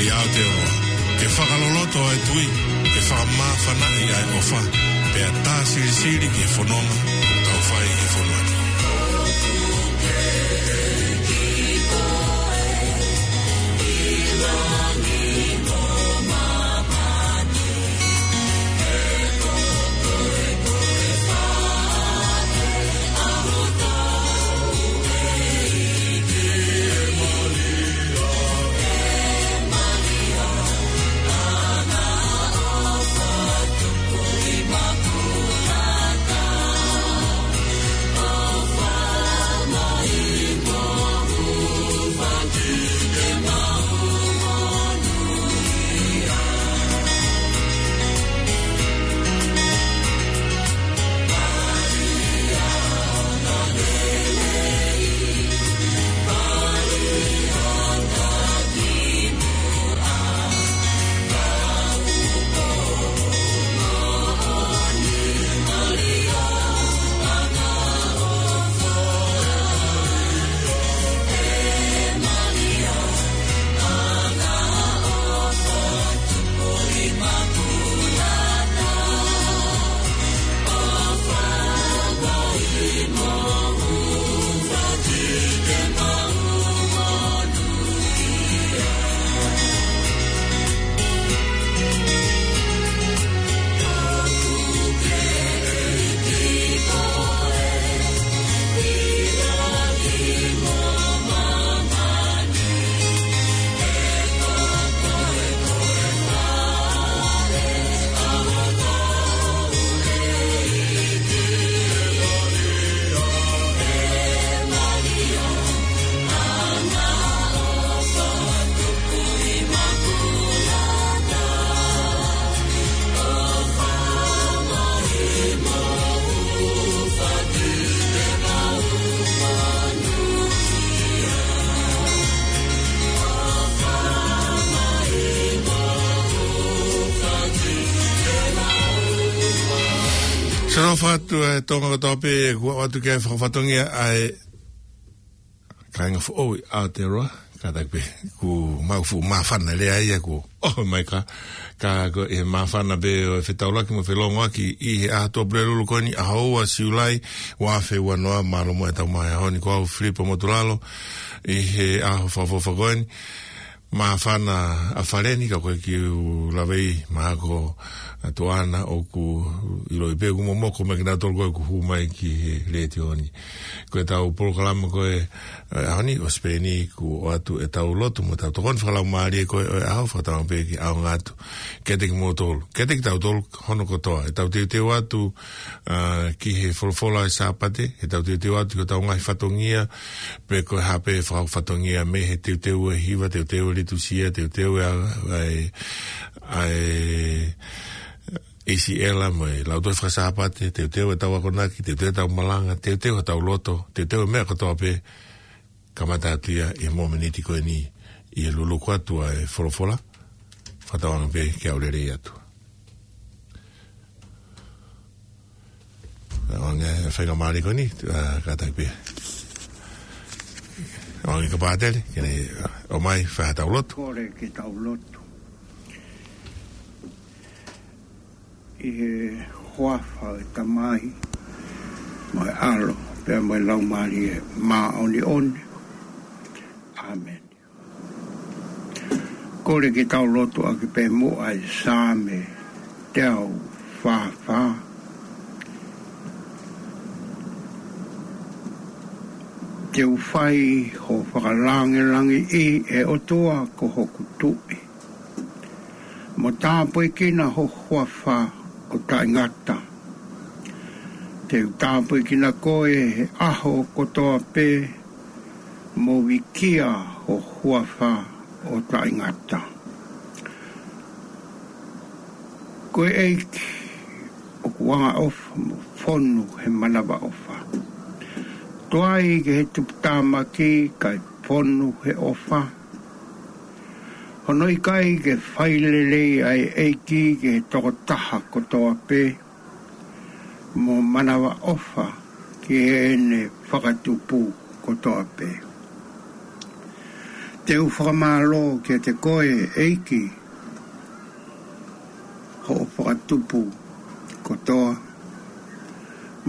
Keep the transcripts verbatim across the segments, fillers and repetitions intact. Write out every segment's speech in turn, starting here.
ʻI Aotearoa, ke fakaloloto ʻa e tui, ke fakamāfanaʻi ʻa e ʻofa, pea tā silisili ki he fononga ʻoku tau fai ʻi he fonua ni. Sano fatu e Tonga kotoa pē, kuo ʻoatu ke fakafatongia ʻa e kāinga foʻou ʻi Aotearoa, kātaki pē, kuo mau fuʻu māfana lea ia kuo ʻoho mai ka, ka ko e māfana pē ʻo e fetaulaki mo e felongoaki ʻi he ʻaho Tuʻapulelulu ko eni, ʻaho ua Siulai, ua afe ua noa, mālō mo e tau mai ʻaho ni, ko au Filipo Motulalo, ʻi he ʻaho fakaʻofoʻofa ko eni. Māfana ʻa Faleni, ka ko e kiʻi ʻū lave ʻi mahalo ko ʻAtuana ʻoku ʻiloʻi pē ʻoku momoko mai kinautolu ko ē ʻoku hū mai ki he letiō ni. Ko e tau polokalama ko ē, ʻe, ʻaho ni ʻo Sipeini kuo ʻoatu e tau lotu mo e tau tokoni fakalaumālie ko ē ʻo e ʻaho, fakatauange pē ke ʻaonga atu kiate kimoutolu, kiate kitautolu hono kotoa. ʻE tau teuteu atu, ʻa, ki he folofola ʻi he Sāpate, ʻe tau teuteu atu ki he tau ngaahi fatongia, pe ko e hā pē fakahoko fatongia mei he teuteu e hiva, teuteu e litusia, teuteu e ʻa, ʻa e, ʻa e ʻIsiela mo e lautohi faka-Sāpate, teuteu e tau akonaki, teuteu e tau malanga, teuteu e tau loto, teuteu e meʻa kotoa pē, kamata atu ia ʻi he momeniti ko eni ʻi he luluku atu ʻa e folofola, fakatauange pē ke ʻaulelei atu. Anga e faingamālie ko eni, ʻa, kātaki pē. Anga ka pātele, ke ne, ʻa, ʻomai, fai ha tau lotu. Kole ke tau lotu. ʻI he huafa ʻo e Tamai, mo e ʻAlo, pea mo e Laumālie Māʻoniʻoni. ʻĀmeni. Kole ke tau lotu ʻaki pē muʻa ʻa e Saame teau fā fā. Te u fai ho fakalāngilangiʻi, ʻe ʻOtua ko hoku Tuʻi, mo tāpuekina ho huafa ʻo taʻengata. Te u tāpuekina koe he ʻaho kotoa pē, mo vikia ho huafa ʻo taʻengata. Ko e ʻEiki ʻoku angaʻofa mo fonu he manavaʻofa. Tuai ke he tuputāmaki kae fonu he ʻofa. Hono ʻikai ke fai lelei ʻa e ʻEiki ki he tokotaha kotoa pē, mo manavaʻofa ki heʻene fakatupu kotoa pē. Te u fakamālō kiate koe, ʻEiki, hoʻo fakatupu kotoa,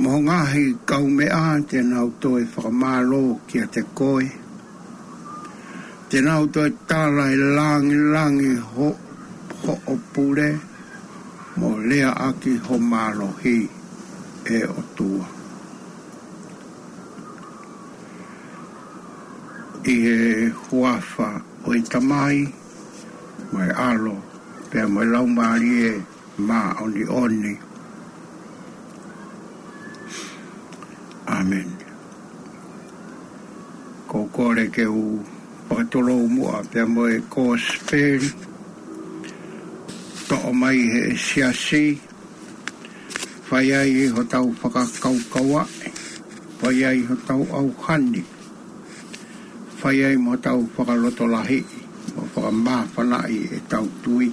mo ho ngaahi kaumeʻa te nau toe fakamālō kiate koe. Te nau toe tala ʻe langilangi ho-, hoʻo pule, mo leaʻaki ho mālohi, ʻe ʻOtua. ʻI he huafa ʻo e Tamai, mo e ʻAlo, pea mo e Laumālie Māʻoniʻoni. ʻĀmeni. Ko e kole ke u fakatulou muʻa pea mo e Kosipeli, toʻo mai ʻe he Siasi, fai ai hotau fakakaukauaʻi, fai ai hotau ʻauhani, fai ai mo hotau fakalotolahiʻi, mo fakamāfanaʻi ʻetau tui.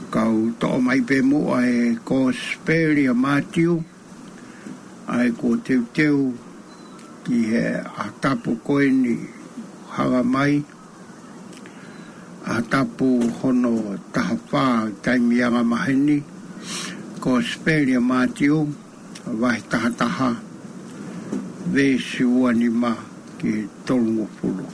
Kau toʻo mai pē muʻa e Kosipeli ʻa Mātiu, ʻa ia kuo teuteu ki he ʻaho tapu ko eni hanga mai, ʻaho tapu hono taha fā taimi anga maheni, Kosipeli ʻa Mātiu, vahe taha taha, veesi ua nima ki he tolungofulu.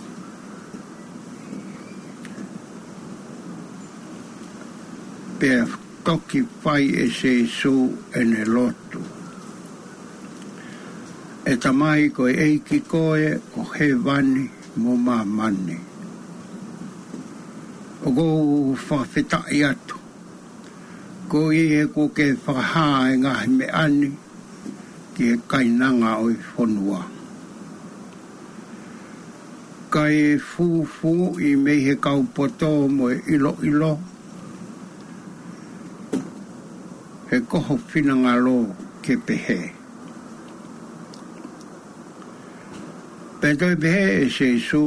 Pea toki fai ʻe Sīsū ʻene lotu. ʻE Tamai, ko e ʻEiki koe ʻo hēvani mo māmani. ʻOku ou fakafetaʻi atu, koeʻuhi he kuo ke fakahā e ngaahi meʻa ni ki he kainanga ʻo e fonua. Kae fūfūʻi mei he kau poto mo e ʻiloʻilo, he ko ho finangalo ke pehē. Pea toe pehē ʻe Sīsū,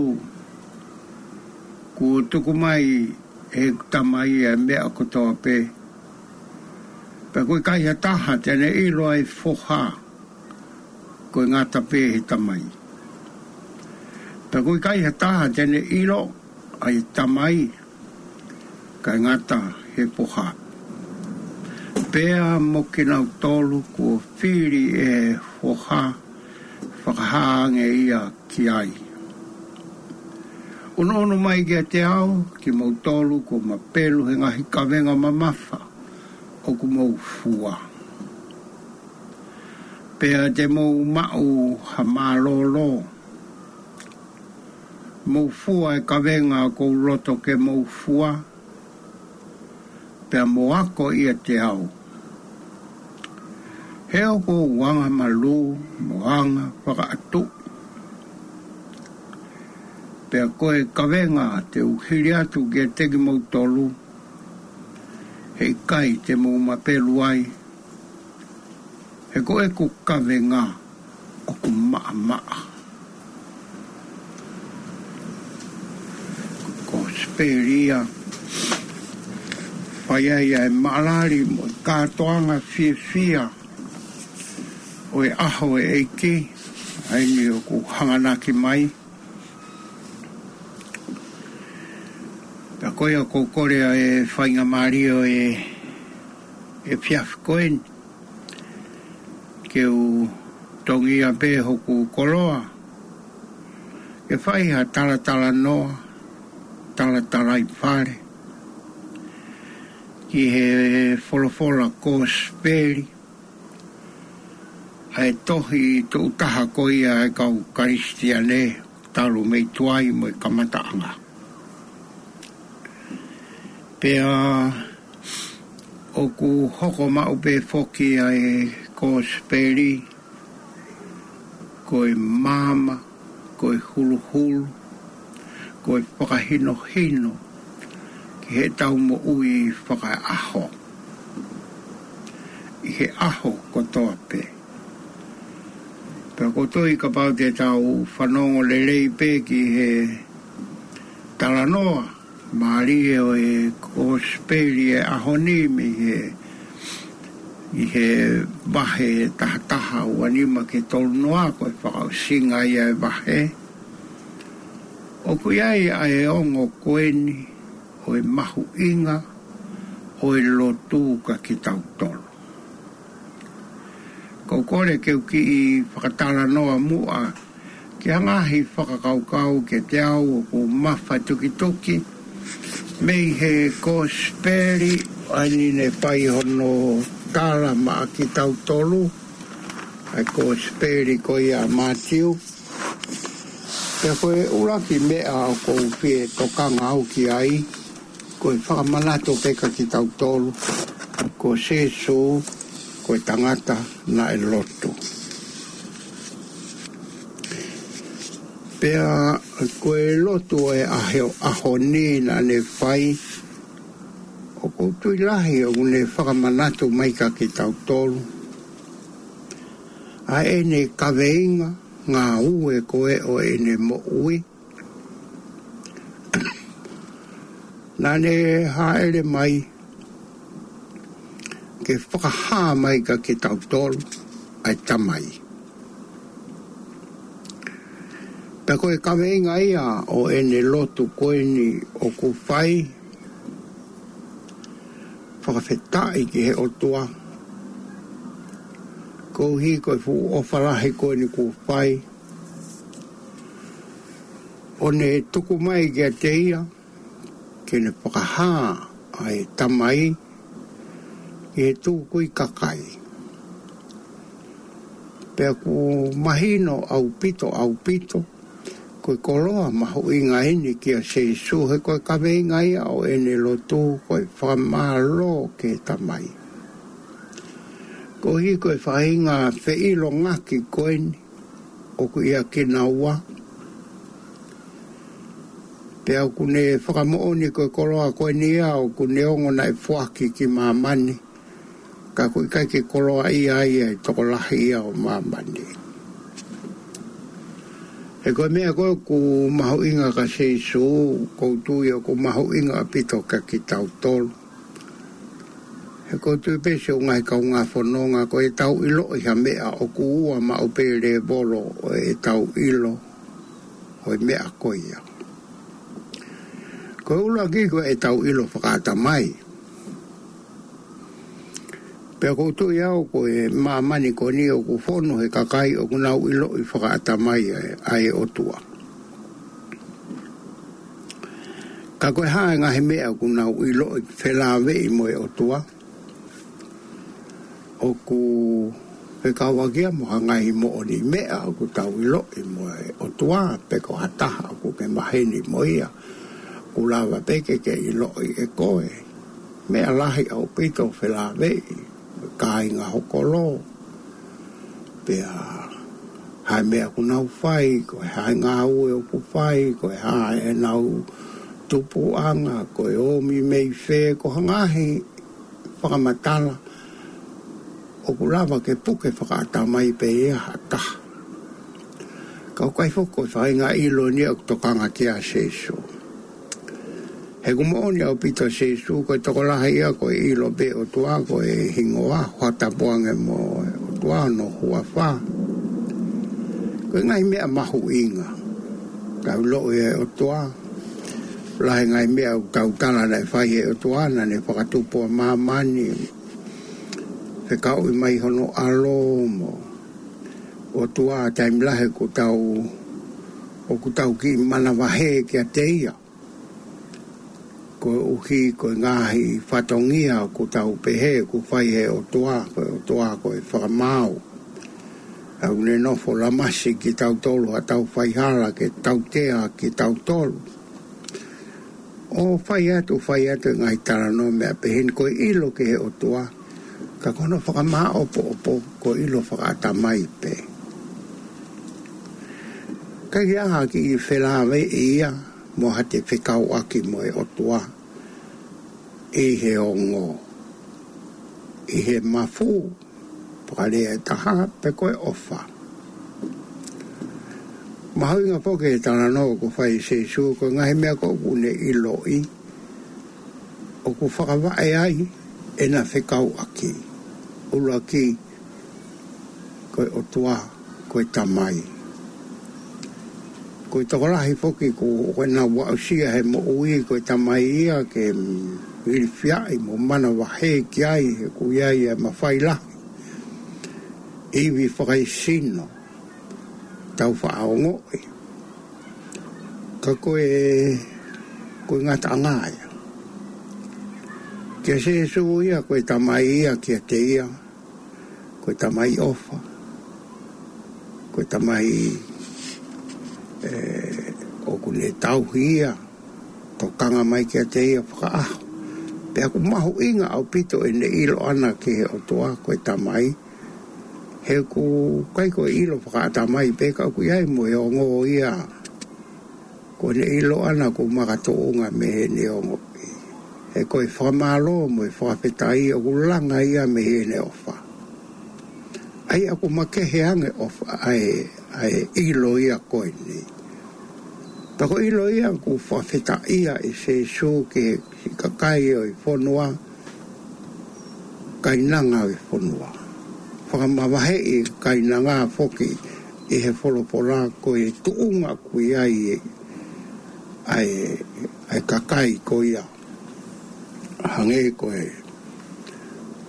kuo tuku mai ʻe heʻeku Tamai ʻa e meʻa kotoa pē. Pea ʻoku ʻikai ha taha te ne ʻilo ʻa e Foha, ko e ngata pē he Tamai. Pea ʻoku ʻikai ha taha te ne ʻilo ʻa e Tamai, kae ngata he Foha. Pea mo kinautolu kuo fili ʻe he Foha, fakahā ange ia ki ai. ʻUnuʻunu mai kiate au, kimoutolu kuo mapelu he ngaahi kavenga mamafa ʻoku mou fua. Pea te mou maʻu ha mālōlō. Mou fua e kavenga ʻoku ou loto ke mou fua, pea mou ako ʻiate au. He ʻoku ou angamalū mo angafakaʻatuʻi. Pea ko e kavenga te u hili atu kiate kimoutolu, heʻikai te mou mapelu ai, he ko ʻeku kavenga ʻoku maʻamaʻa. Kosipeli ia, fai ai ʻa e maʻalali mo e kātoanga fiefia ʻo e ʻaho ʻo e ʻEiki, ʻa eni ʻoku hanganaki mai. Pea ko ia ʻoku ou kole ʻa e faingamālie ʻo e, ʻa e efiafi ko eni, ke u tongia pē hoku koloa, ke fai ha talatalanoa, talatalaifale, ki he folofola Kosipeli, ʻa e tohi tuʻu taha ko ia ʻa e kau Kalisitiane, talu mei tuai mo e kamataʻanga. Pea ʻoku hoko maʻu pē foki ʻa e Kosipeli, ko e maama, ko e huluhulu, ko e fakahinohino ki heʻetau moʻui fakaʻaho, ʻi he ʻaho kotoa pē. Pea ʻoku ou tui kapau te tau fanongo lelei pē ki he talanoa mālie ʻo e Kosipeli ʻo e ʻaho ni mei he, ʻi he vahe taha taha, ua nima ki he tolu noa, ko e fakaʻosinga ia ʻo e vahe. ʻOku ʻi ai ʻa e ongo ko eni ʻo e mahuʻinga ʻo e lotu kiate kitautolu. Ko e kole ke u kiʻi fakatalanoa muʻa ki ha ngaahi fakakaukau kiate au ʻoku mafatukituki mei he Kosipeli, ʻa eni ne fai hono tala maʻa kitautolu, ʻa e Kosipeli ko ia ʻa Mātiu. Pea ko e ʻuluaki meʻa ʻoku ou fie tokanga au ki ai, ko e fakamanatu pē kiate kitautolu, ko Sīsū ko e tangata naʻe lotu. Pea ko e lotu ʻo e ʻaho, ʻaho ni naʻa ne fai, ʻoku ou tui lahi ʻoku ne fakamanatu mai kiate kitautolu ʻa ʻene kaveinga, ngāue ko ē ʻo ʻene moʻui. Naʻa ne hāʻele mai ke fakahā mai kiate kitautolu ʻa e Tamai. Pea ko e kaveinga ia ʻo ʻene lotu ko eni ʻoku fai, fakafetaʻi ki he ʻOtua koeʻuhi ko e fuʻu ʻofa lahi ko eni kuo fai, ʻo ne tuku mai kiate ia ke ne fakahā ʻa e Tamai ki he tukui kakai. Pea ʻoku mahino ʻaupito, ʻaupito, ko e koloa mahuʻinga eni kia Sīsū, he ko e kaveinga ia ʻo ʻene lotu ko e fakamālō ki he Tamai. Koeʻuhi ko e faʻahinga feʻilongaki ko eni ʻoku ʻia kinaua. Pea ʻoku ne fakamoʻoni ko e koloa ko eni ia ʻoku ne ongo naʻe foaki ki māmani, ka ʻoku ʻikai ke koloaʻia ia ʻe he tokolahi ia ʻo māmani. He ko e meʻa ko ē ʻoku mahuʻinga kia Sīsū, ʻoku ou tui ʻoku mahuʻinga ʻaupito kiate kitautolu. He ʻoku ou tui pē siʻi ngaahi kaungā fononga ko ʻetau ʻiloʻi ha meʻa ʻoku ua maʻu pē lēvolo ʻo ʻetau ʻilo ʻo e meʻa ko ia. Ko e ʻuluaki ko ʻetau ʻilo fakaʻatamai. Pea ʻoku ou tui au ko e māmani ko eni ʻoku fonu he kakai ʻoku nau ʻiloʻi fakaʻatamai ʻa e, ʻa e ʻOtua. Ka ko e hā e ngaahi meʻa ʻoku nau ʻiloʻi felāveʻi mo e ʻOtua? ʻOku fekauʻaki ia mo ha ngaahi moʻoniʻi meʻa ʻoku tau ʻiloʻi mo e ʻOtua, pe ko ha taha ʻoku ke maheni mo ia, ʻoku lava pē ke ke ʻiloʻi ʻe koe. Meʻa lahi ʻaupito felāveʻi, kāinga ho kolo, pea hā e meʻa ʻoku nau fai, ko e hā e ngāue ʻoku fai, ko e hā ʻenau tupuʻanga, ko e ōmi mei fē, ko ha ngaahi fakamatala ʻoku lava ke puke fakaʻatamai pē ia ha taha. Ka ʻoku ʻikai foki ko e faʻahinga ʻilo eni ia ʻoku tokanga kia Sīsū. He ʻoku moʻoni ʻaupito Sīsū, ko e tokolahi ia ko e ʻilo pē ʻOtua ko e hingoa, hoʻatā pē ange mo e ʻOtua hono huafa. Ko e ngaahi meʻa mahuʻinga. Tau ʻiloʻi e ʻOtua. Lahi e ngaahi meʻa ʻoku tau tala naʻe fai he ʻOtua, naʻa ne fakatupu ʻa māmani, fekauʻi mai hono ʻAlo mo e ʻOtua, taimi lahi ʻoku tau, ʻoku tau kiʻi manavahē kiate ia. Koeʻuhi ko e ngaahi fatongia ʻoku tau pehē ʻoku fai he ʻOtua, ko e ʻOtua ko e fakamaau. ʻOku ne nofo lamasi kitautolu haʻatau faihala ke tautea kitautolu. ʻO fai atu, fai atu e ngaahi talanoa meʻa pehē ni ko e ʻilo ki he ʻOtua, ka ko hono fakamāʻopoʻopo ko e ʻilo fakaʻatamai pē. Ka ʻi ai ha kiʻi felāveʻi ia mo haʻate fekauʻaki mo e ʻOtua ʻi he ongo, ʻi he mafu, fakalea ʻe taha, pe ko e ʻofa. Mahuʻinga foki e talanoa ʻoku fai ʻe Sīsū, ko e ngaahi meʻa ko ē ʻoku ne ʻiloʻi, ʻoku fakavaʻe ai ʻena fekauʻaki. ʻUluaki, ko e ʻOtua, ko e Tamai. Ko e tokolahi foki ko, ko ʻenau aʻusia he moʻui ko e tamai ia ke, mm, ilifiaʻi mo manavahē ki ai, he ʻoku ʻi ai e mafai lahi. Ivi fakaesino, tau faʻa ongoʻi. Ka ko e, ko e ngataʻanga ia. Kia Sēsū ia, ko e tamai ia kiate ia, ko e tamai ʻofa. Ko e tamai, ē, ʻoku ne tauhi ia, tokanga mai kiate ia fakaʻaho. Pea ʻoku mahuʻinga ʻaupito ʻene ʻilo ʻana ki he ʻOtua ko e tamai. He ʻoku ʻikai ko e ʻilo fakaʻatamai pē ka ʻoku ʻi ai mo e ongo ia. Ko ʻene ʻilo ʻana ʻoku makatuʻunga mei heʻene ongoʻi. He ko e fakamālō mo e fakafetaʻi ʻoku langa ia mei heʻene ʻofa. ʻA ia ʻoku makehe ange ʻofa ʻa e, ʻa e ʻilo ia ko eni. Pea ko e ʻilo ia ʻoku fakafetaʻia ʻe Sēsū ki he siʻi kakai ʻo e fonua, kainanga ʻo e fonua. Fakamavaheʻi kainanga foki ʻi he folofola ko e tuʻunga ʻoku ʻi ai ʻa e, ʻa e kakai ko ia. Hangē ko e,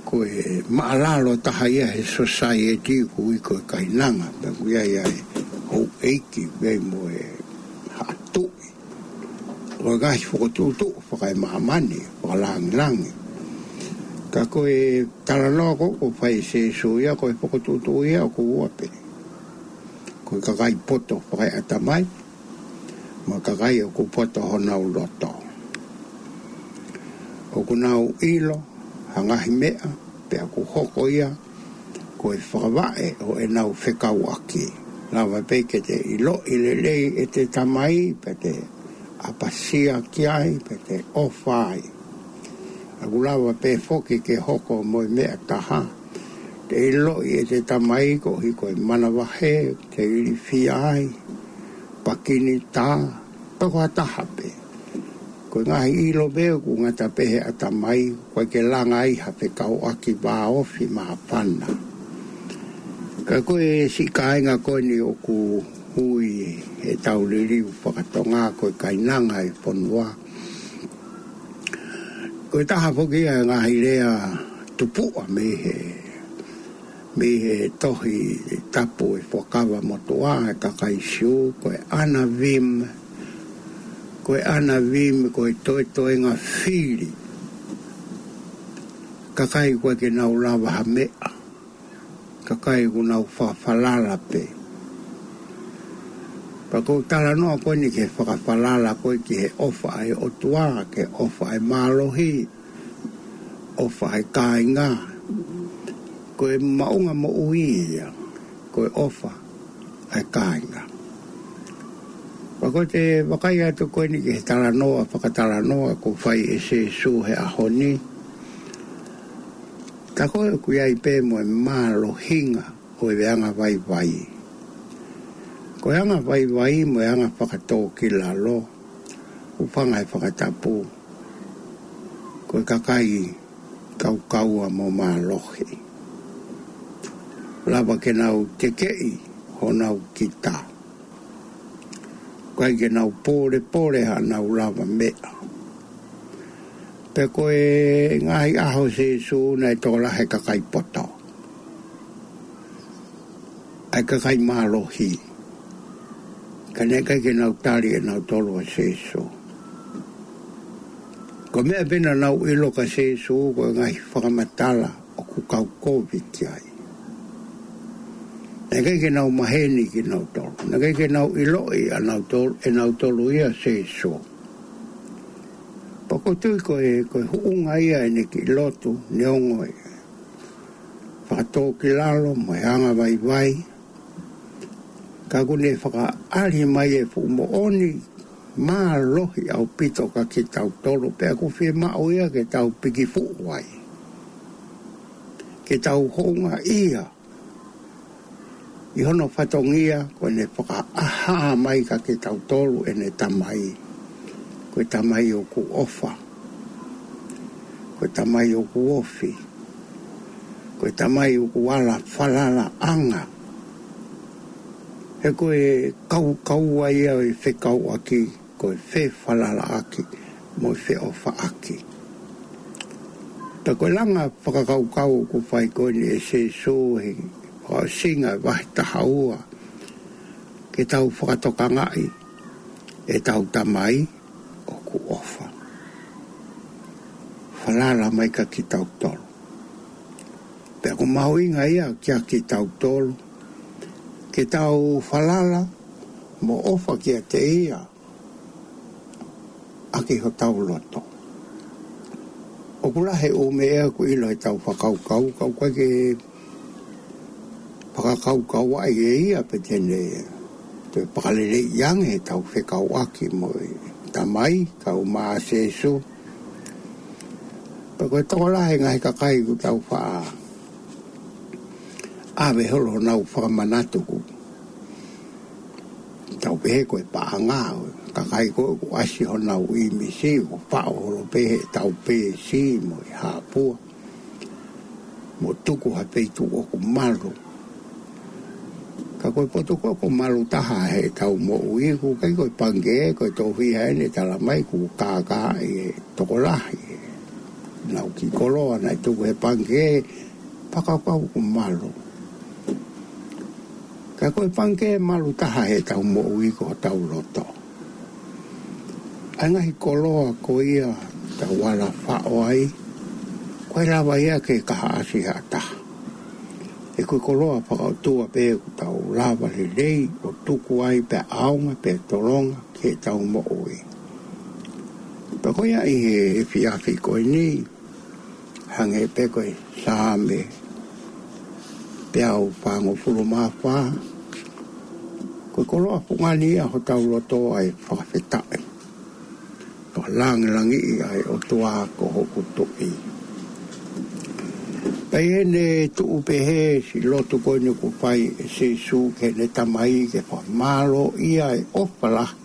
ko e maʻalalo taha ia he society ʻoku ui ko e kainanga. Pea ʻoku ʻi ai ʻa e houʻeiki, ʻoku ʻi ai mo e haʻa tuʻi. Ko e ngaahi fokotuʻutuʻu fakaemāmani, fakalāngilangi. Ka ko e talanoa ko, ʻoku fai ʻe Sēsū ia, ko e fokotuʻutuʻu ia ʻoku ua pē. Ko e kakai poto fakaeʻatamai, mo e kakai ʻoku poto honau loto. ʻOku nau ʻilo ha ngaahi meʻa, pea ʻoku hoko ia ko e fakavaʻe ʻo ʻenau fekauʻaki. Lava pē ke te ʻiloʻi lelei ʻete tamai, pea te ʻapasia ki ai, pea te ʻofa ai. ʻOku lava pē foki ke hoko mo e meʻa taha. Te ʻiloʻi ʻete tamai koeʻuhi ko e manavahē, te ilifia ai, pakinitā, toko ha taha pē. Ko e ngaahi ʻilo pē ʻoku ngata pē he ʻatamai, ʻoku ʻikai ke langa ai ha fekauʻaki vāofi māfana. Ka ko e siʻi kāinga ko eni ʻoku ui heʻetau liliu fakatonga ko e kainanga ʻo e fonua. Ko e taha foki ia e ngaahi lea tupuʻa mei he, mei he Tohi Tapu ʻo e Fuakava Motuʻa ʻa e kakai Siu, ko e anavim, ko e anavim, ko e toetoenga fili. Kakai ʻoku ʻikai ke nau lava ha meʻa. Kakai ʻoku nau fakafalala pē. Pea ʻoku talanoa ko eni ki he fakafalala ko ē ki he ʻofa ʻa e ʻOtua, ki he ʻofa ʻa e mālohi, ʻofa ʻa e kāinga. Ko e maʻunga moʻui ia, ko e ʻofa ʻa e kāinga. Pea ʻoku te vakai atu ko eni ki he talanoa, fakatalanoa ʻoku fai ʻe Sēsū he ʻaho ni. Ka ko e ʻoku ʻi ai pē mo e mālohinga ʻo e anga vaivai. Ko e anga vaivai mo e anga fakatōkilalo, ʻoku fanga he fakatapu, ko e kakai kaukaua mo mālohi. Lava ke nau tekeʻi honau kita. ʻIkai ke nau pōlepole haʻanau lava meʻa. Pea ko e ngaahi ʻaho ʻo Sēsū naʻe tokolahi e kakai poto, ʻa e kakai mālohi. Ka naʻe ʻikai ke nau tali ʻe nautolu ʻa Sēsū. Ko e meʻa pē naʻa nau ʻilo kia Sēsū ko e ngaahi fakamatala ʻoku kau kovi ki ai. Naʻe ʻikai ke nau maheni kinautolu. Naʻe ʻikai ke nau ʻiloʻi ʻa nautolu, ʻe nautolu ia ʻa Sēsū. Pea ʻoku ou tui ko e, ko e huʻunga ia ʻene kiʻi lotu, neongo e fakatōkilalo mo e anga vaivai. Ka ʻoku ne fakaʻali mai e fuʻu moʻoni mālohi ʻaupito kia kitautolu, pea ʻoku fiemaʻu ia ke tau pikifuʻu ai. Ke tau houngaʻia ʻi hono fatongia, ko ʻene fakaʻaha mai kia kitautolu ʻene tamai. Ko e tamai ʻoku ʻofa. Ko e tamai ʻoku ofi. Ko e tamai ʻoku ala falalaʻanga. He ko e kaukaua ia ʻo e fekauʻaki, ko e fefalalaʻaki mo e feʻofaʻaki. Pea ko e langa fakakaukau ʻoku fai ko eni ʻe Sīsū he fakaʻosinga e vahe taha ua, ke tau fakatokangaʻi ʻetau Tamai ʻoku ʻofa, falala mai kia kitautolu. Pea ʻoku mahuʻinga ia kia kitautolu ke tau falala mo ʻofa kiate ia ʻaki hotau loto. ʻOku lahi e ʻū meʻa ʻoku ʻilo heʻetau fakakaukau, ka ʻoku ʻikai ke fakakaukauʻi ʻe ia pe te ne toe fakaleleiʻi ange ʻetau fekauʻaki mo e Tamai, kaeʻumaʻā Sīsū. Pea ko e tokolahi e ngaahi kakai ʻoku tau faʻa ʻave holo honau fakamanatu, ʻoku tau pehē ko e paʻanga ʻo e kakai ko ē ʻoku ʻasi honau ʻīmisi, ʻoku faʻo holo pē heʻetau peesi mo e hāpua mo tuku ha feituʻu ʻoku malu. Ka ko e potu ko ē ʻoku malu taha heʻetau moʻui, ʻoku ʻikai ko e pangikē, ko e tofiʻa ʻeni ʻe talamai ʻoku kākaaʻi e tokolahi ʻenau kiʻi koloa naʻe tuku he pangikē, fakakaukau ʻoku malu. Ka ko e pangikē malu taha heʻetau moʻui ko hotau loto. ʻA e ngaahi koloa ko ia ʻoku tau ala faʻo ai, ʻoku ʻikai lava ia ke kaihaʻasi ha taha. He ko e koloa fakaʻotua pē ʻoku tau lava lelei ʻo tuku ai pea ʻaonga pea tolonga ki heʻetau moʻui. Pea ko ia ʻi he efiafi ko eni, hangē pē ko e Saame teau fāngofulu mā fā, ko e koloa fungani ia hotau loto ʻa e fakafetaʻi, fakalāngilangiʻi ʻa e ʻOtua ko hoku Tuʻi. Pea ʻi heʻene tuʻu pehē, siʻi lotu ko eni ʻoku fai ʻe Sīsū ki heʻene Tamai ke fakamālōʻia e ʻofa lahi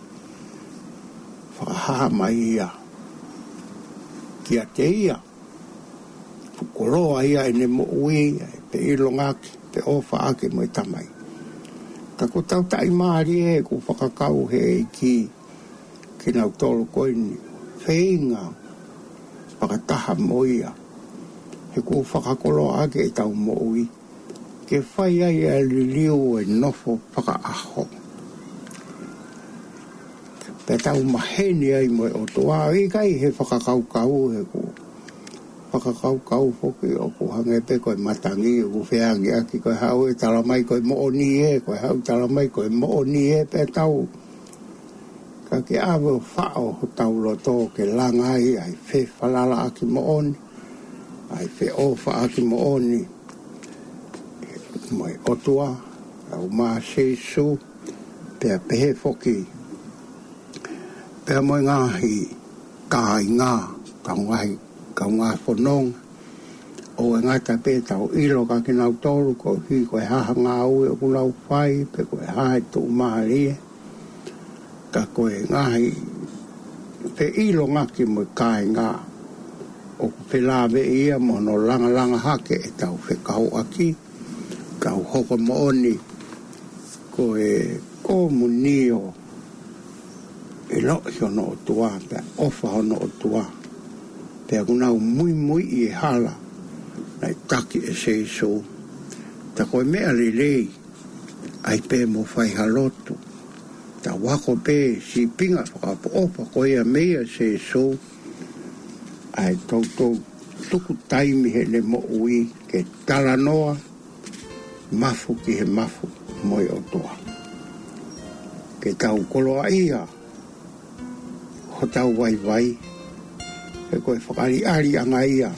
fakahā mai ia kiate ia. Koloa ia ʻene moʻui, ʻa e feʻilongaki, feʻofaʻaki mo e Tamai. Ka ʻoku tau taʻimālie he ʻoku fakakau he ʻEiki kinautolu ko eni ʻoku feinga fakataha mo ia, he ʻoku fakakoloaʻaki ʻetau moʻui ke fai ai ʻa e liliu ʻo e nofo fakaʻaho. Pea tau maheni ai mo e ʻOtua, ʻikai he fakakaukau, he ʻoku fakakaukau foki ʻoku hangē pē ko e matangi ʻoku feangiʻaki, ko e haʻu ʻo talamai ko e moʻoni ē, ko e haʻu ʻo talamai ko e moʻoni ē, pea tau ka ke ʻave ʻo faʻo hotau loto ke langa ai ʻa e fefalalaʻaki moʻoni, ʻa e feʻofaʻaki moʻoni mo e ʻOtua, kaeʻumaʻā Sīsū, pea pehē foki pea mo e ngaahi kāinga, kaungā, kaungā fononga, ʻoku ʻikai ngata pē ʻetau ʻilo kia kinautolu koeʻuhi ko e hā ha ngāue ʻoku nau fai, pe ko e hā e tuʻumālie, ka ko e ngaahi feʻilongaki mo e kāinga ʻoku felāveʻi ia mo hono langalanga hake ʻetau fekauʻaki, tau hoko moʻoni ko e komunio ʻiloʻi hono ʻOtua, pea ʻofa hono ʻOtua, pea ʻoku nau muimuiʻi e hala naʻe taki ʻe Sīsū. Ka ko e meʻa lelei, ʻai pē mo fai ha lotu, tau ako pē sīpinga fakaʻofoʻofa ko ia meia Sīsū, ʻa e toutou tuku taimi heʻene moʻui ke talanoa mafu ki he mafu mo e ʻOtua. Ke tau koloaʻia hotau vaivai, he ko e fakaʻaliʻaliʻanga ia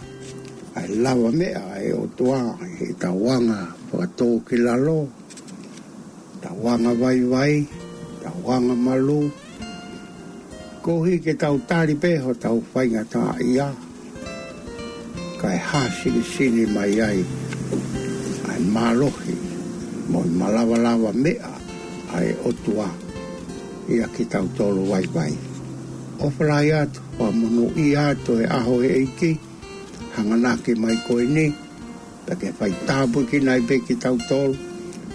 ʻa e lavameʻa ʻa e ʻOtua, ʻi heʻetau anga fakatōkilalo, tau anga vaivai, tau anga malū, koeʻuhi ke tau tali pē hotau faingataʻaʻia, kae hā sinisini mai ai ʻa e mālohi mo e malavameʻa ʻa e ʻOtua ʻia kitautolu vaivai. ʻOfa lahi atu, fakamonūʻia atu e ʻaho ʻo e ʻEiki, hanganaki mai ko eni, pea ke faitāpuekina ai pē kitautolu,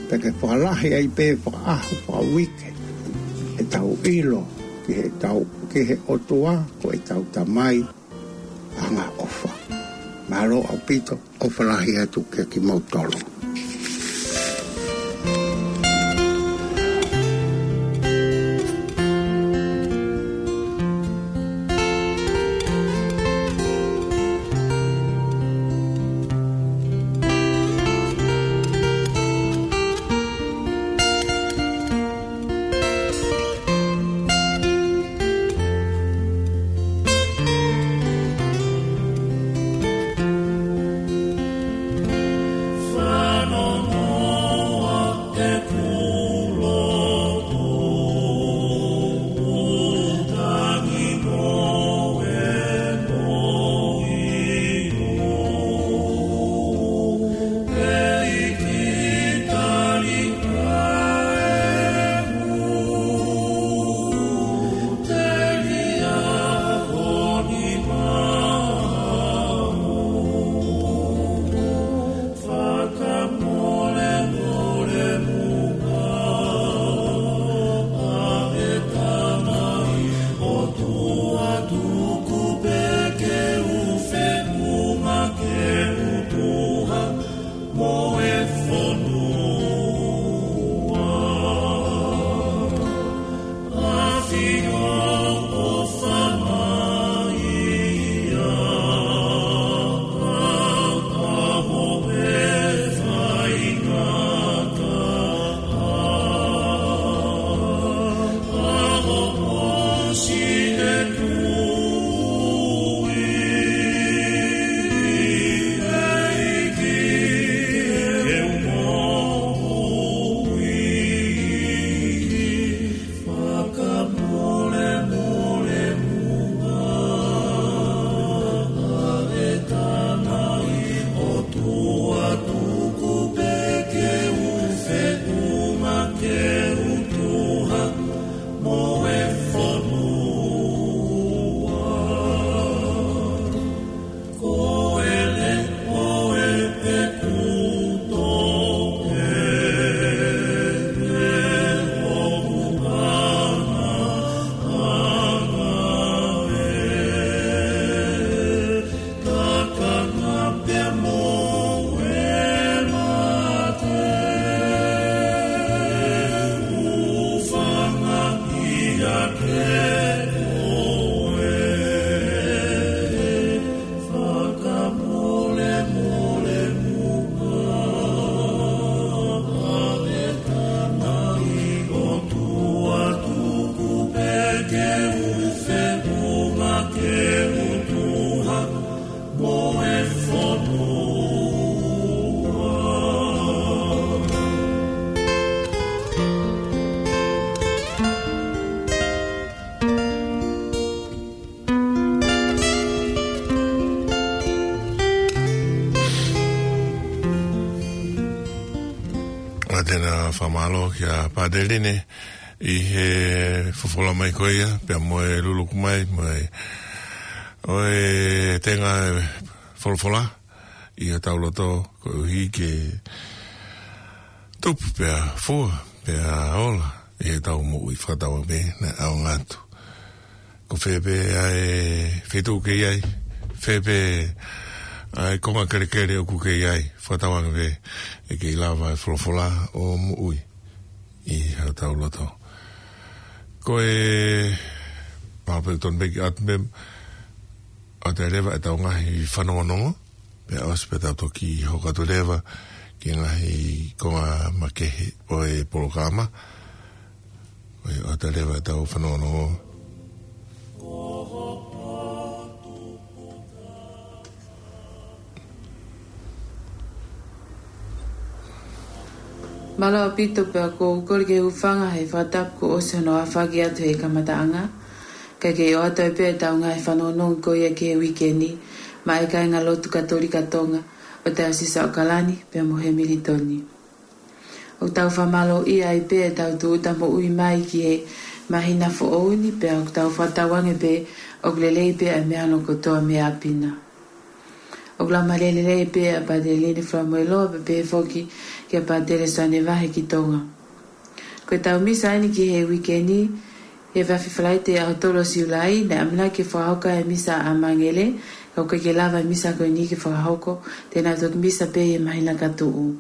Pea ke fakalahi ai pē fakaʻaho, fakauike, ʻetau ʻilo ki heʻetau, ki he ʻOtua ko ʻetau Tamai angaʻofa. Mālō ʻaupito, ʻofa lahi atu kia kimoutolu. ʻA tena fakamālō kia Pātele Line ʻi he folofola mai ko ia, pea mo e luluku mai, mo e, ʻo e tenga folofola ʻi hotau loto, koeʻuhi ke tupu pea fua, pea ola ʻi heʻetau moʻui. Fakatauange pē naʻe ʻaonga atu. Ko fē pē ʻa e feituʻu ke ʻi ai, fē pē ʻa e konga kelekele ʻoku ke ʻi ai, fakatauange pē ʻe kei lava e folofola ʻo moʻui ʻi hotau loto. Ko e, mau pē tonu pē ke ʻoatu pē, ʻoatu leva ʻetau ngaahi fanongonongo, pea ʻosi pea tau toki hoko atu leva ki he ngaahi konga makehe ʻo e polokalama. Ko ia, ʻoatu leva ʻetau fanongonongo. Mālō ʻaupito, pea ʻoku ou kole ke u hūfanga he fakatapu kuo ʻosi hono aofaki atu he kamataʻanga. Kae kei ʻoatu ai pē ʻetau ngaahi fanongonongo ko ia ki he uike ni maʻá e kāingalotu Katolika Tonga ʻo Taiosisi ʻAokalani pea mo Hemilitoni. ʻOku tau fakamālōʻia ai pē ʻetau tūʻuta moʻui mai ki he māhina foʻou ni, pea ʻoku tau fakatauange pē ʻoku lelei pē ʻa e meʻa hono kotoa mei ʻapi na. ʻOku laumālie lelei pē ʻa Pātele Line Falamoeloa, pea pehē foki kia Pātele Soane Vahe ki Tonga. Ko ʻetau misa ʻeni ki he uike ni, he efiafi Falaite ʻaho tolu ʻo Siulai, naʻe ʻamanaki ke fakahoko ai e misa ʻa Mangele, ka ʻoku ʻikai ke lava e misa ko eni ke fakahoko, te nau toki misa pē he māhina ka tuʻu.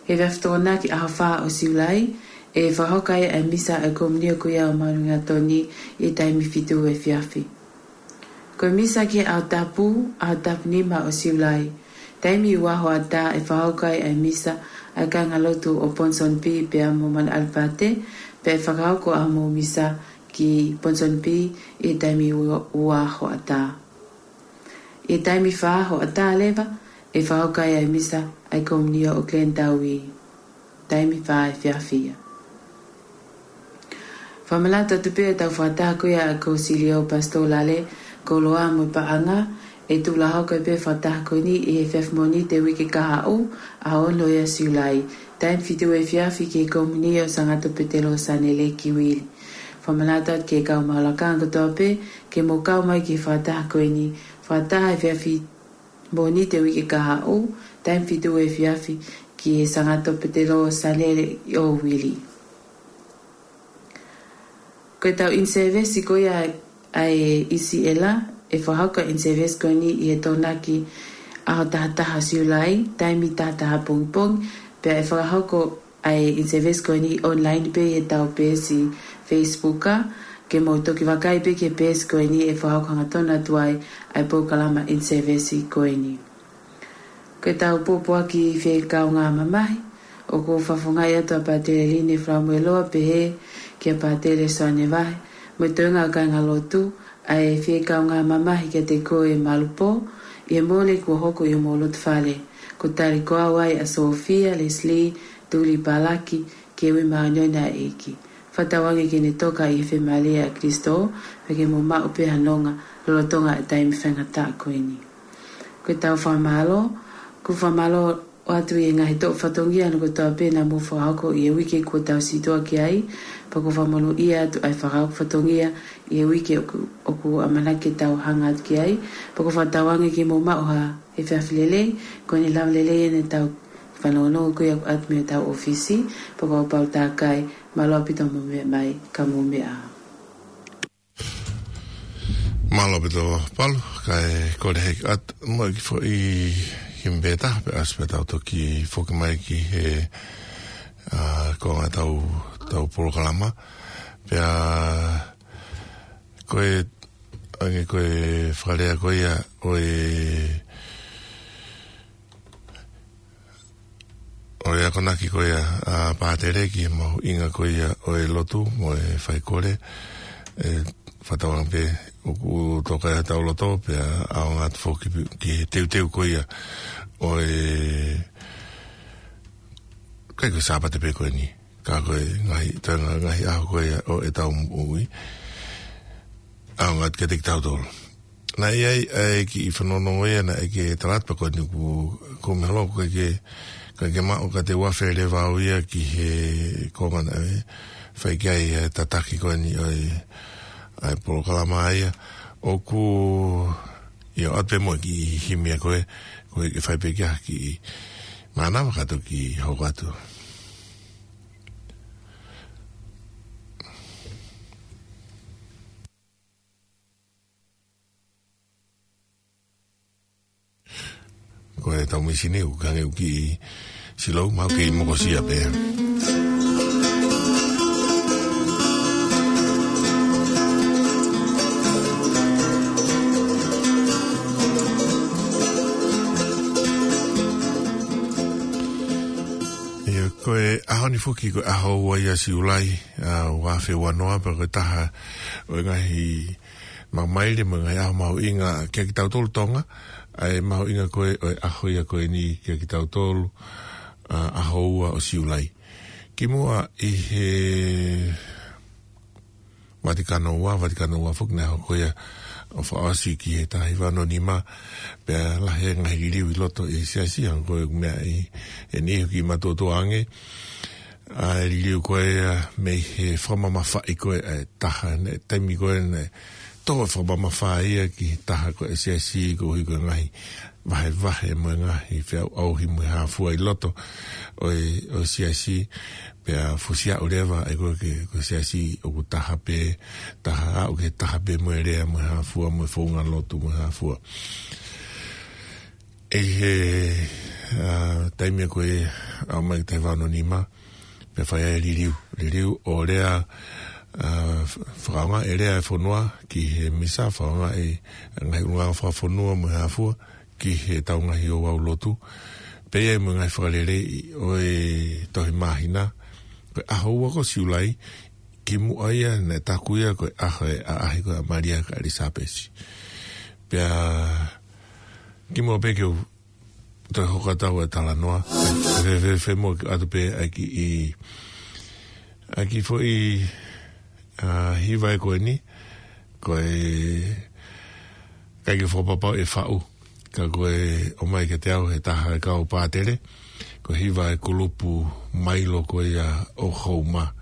He efiafi Tokonaki ʻaho fā ʻo Siulai, ʻe fakahoko ai e misa ʻa e komunio ko ia ʻo Manuingatoni ʻi he taimi fitu efiafi. Ko e misa ki he ʻaho tapu, ʻaho tapu nima ʻo Siulai. Taimi ua hoʻatā ʻe fakahoko ai e misa ʻa e kāingalotu ʻo Ponsonby pea mo Manu ʻAlipate, pea ʻe fakahoko ʻa hoʻomou misa ki Ponsonby ʻi he taimi ua, ua hoʻatā. ʻI he taimi fā hoʻatā leva, ʻe fakahoko ai e misa ʻa e komunio ʻo Glendowie. Taimi fā efiafi ia. Fakamanatu atu pē ʻetau fakataha ko ia ʻa Kosilio Pastor Lale, koloa mo e paʻanga, ʻe tuʻu lāhoko pē fakataha ko eni ʻi he efiafi Mōnite uike kahaʻu, ʻaho ono ia ʻo Siulai. Taimi fitu efiafi ki he komunio ʻo Sangato Petelo Sanele ki Vili. Fakamanatu atu ki he kau maʻu lakanga kotoa pē, ke mou kau mai ki he fakataha ko eni, fakataha efiafi Mōnite uike kahaʻu, taimi fitu efiafi ki he Sangato Petelo Sanele ʻo Vili. Ko ʻetau in-service ko ia ʻa e ʻIsiʻela, ʻe fakahoko e in-service ko eni ʻi he Tokonaki ʻaho taha taha Siulai, taimi taha taha pongipongi, pea ʻe fakahoko ʻa e in-service ko eni online pē ʻi heʻetau peesi Facebook, ke mou toki vakai pē ki he peesi ko eni ʻe fakahoko hangatonu atu ai ʻa e polokalama in-service ko eni. Ko ʻetau pōpoaki fie kaungā mamahi, ʻoku fakafofongaʻi atu ʻa Pātele Line Falamueloa pehē kia Pātele Soane Vahe, mo e toenga ʻo e kāingalotu, ʻa e fie kaungā mamahi kiate koe Malupo, ʻi he Mōnite kuo hoko ʻi hoʻomou loto fale. Ko e tali ko au ai ʻa Sofia, Leslie, Tuli Palaki, ki he ui māʻoniʻoni ʻa e ʻEiki. Fakatauange ke ne toka ʻi he fiemālie ʻa Kalaisi, pea ke mou maʻu pē ha nonga, lolotonga e taimi faingataʻa ko eni. Ko ʻetau fakamālō, ʻoku fakamālō atu ʻi he ngaahi toʻu fatongia ʻa hono kotoa pē naʻa mou fakahoko ʻi he uike kuo tau situʻa ki ai, pea ʻoku fakamonūʻia atu ʻa e fakahoko fatongia ʻi he uike ʻoku, ʻoku ʻamanaki ke tau hanga atu ki ai, pea ʻoku fakatauange ke mou maʻu ha efiafi lelei, ko ʻene lava lelei ʻeni ʻetau fanongonongo ko ia ʻoku ʻoatu mei hotau ʻōfisi, pea kapau ʻoku takai, mālō ʻaupito hoʻomou meʻa mai, ka mou meʻa ā. Mālō ʻaupito Palu, kae kole hake atu mo e kiʻi foʻi himi pē taha pea ʻosi pea tau toki foki mai ki he, ʻa, ko e ngaahi ʻetau, ʻetau polokalama. Pea ko e, ʻa ia ko e fakalea ko ia ʻo e ʻo e akonaki ko ia ʻa Pātele ki he mahuʻinga ko ia ʻo e lotu mo e faikole, ʻe fakatauange pē ʻoku toka ʻi hotau loto pea ʻaonga atu foki ki he teuteu ko ia ʻo e, ʻikai ko e Sāpate pē ko eni, ka ko e ngaahi, tā ngaahi ʻaho ko ia ʻo ʻetau moʻui. ʻAonga atu kiate kitautolu. Naʻe ʻi ai ʻa e kiʻi fanongonongo ia naʻe ʻikai ke tala atu pea ko eni ʻoku, ʻoku ou meʻa holo ʻoku ʻikai ke, ʻikai ke maʻu ka te u afe leva au ia ki he konga naʻe fai ki ai e tataki ko eni ʻo e, ʻa e polokalama ia. ʻOku, ʻio, ʻoatu pē mo e kiʻi himi ia ko ē, ko e ke fai pē ki ha kiʻi mānava ka toki hoko atu. Ko ʻetau mīsini ʻoku hangē ʻoku kiʻi slow, mahalo kei mokosia pē. ʻIo, ko e ʻaho ni foki ko e ʻaho ua ia Siulai, ʻa, ua afe ua noa, pea ko e taha ʻo e ngaahi maile mo e ngaahi ʻaho mahuʻinga kia kitautolu Tonga, ʻa e mahuʻinga ko ē ʻo e ʻaho ia ko eni kia kitautolu, ʻa, ʻaho ua ʻo Siulai. Kimuʻa ʻi he Vatikano ua, Vatikano ua foki naʻe hoko ia ʻo fakaʻosi ki he taha hiva ono nima, pea lahi e ngaahi liliu ʻi loto ʻi he siasi, hangē ko e meʻa ʻi heni ʻoku kiʻi matuʻotuʻa ange, ʻa e liliu ko ia mei he fakamamafaʻi ko ē ʻa e taha, naʻe taimi ko ē naʻe tō e fakamamafa ia ki he taha ko e siasi koeʻuhi ko e ngaahi vahevahe mo e ngaahi feʻauʻauhi mo e hā fua ʻi loto ʻo e, ʻo e siasi, pea fusi aʻu leva ʻa e ko e ke, ko e siasi ʻoku taha pē, taha aʻu ki he taha pē mo e lea mo e hā fua mo e founga lotu mo e hā fua. ʻI he, ʻa, taimi ko ē ʻaʻu mai ki he taha valu nima, pea fai ai e liliu. Liliu ʻo lea, ʻa, f-, fakaʻaongaʻi e lea e fonua ki he misa, fakaʻaongaʻi e ngaahi ʻulungaanga fakafonua mo e hā fua ki heʻetau ngaahi ouau lotu. Pea ʻi ai mo e ngaahi fakaleleiʻi ʻo e tohi māhina, ko e ʻaho ua ko Siulai, kimuʻa ia naʻe taku ia ko e ʻaho e ʻaʻahi ko ē ʻa Malia kia ʻElisapesi. Pea kimuʻa pē ke u toe hoko atu ʻa e talanoa, fēfē, fēfē mo ke ʻoatu pē ʻa e kiʻi, ʻa e kiʻi foʻi, ʻa, hiva ē ko eni, ko e ʻikai ke fakapapau ʻe faʻu, ka ko e ʻomai kiate au he taha e kau pātele, ko e hiva e kulupu Mailo ko ia ʻo Houma.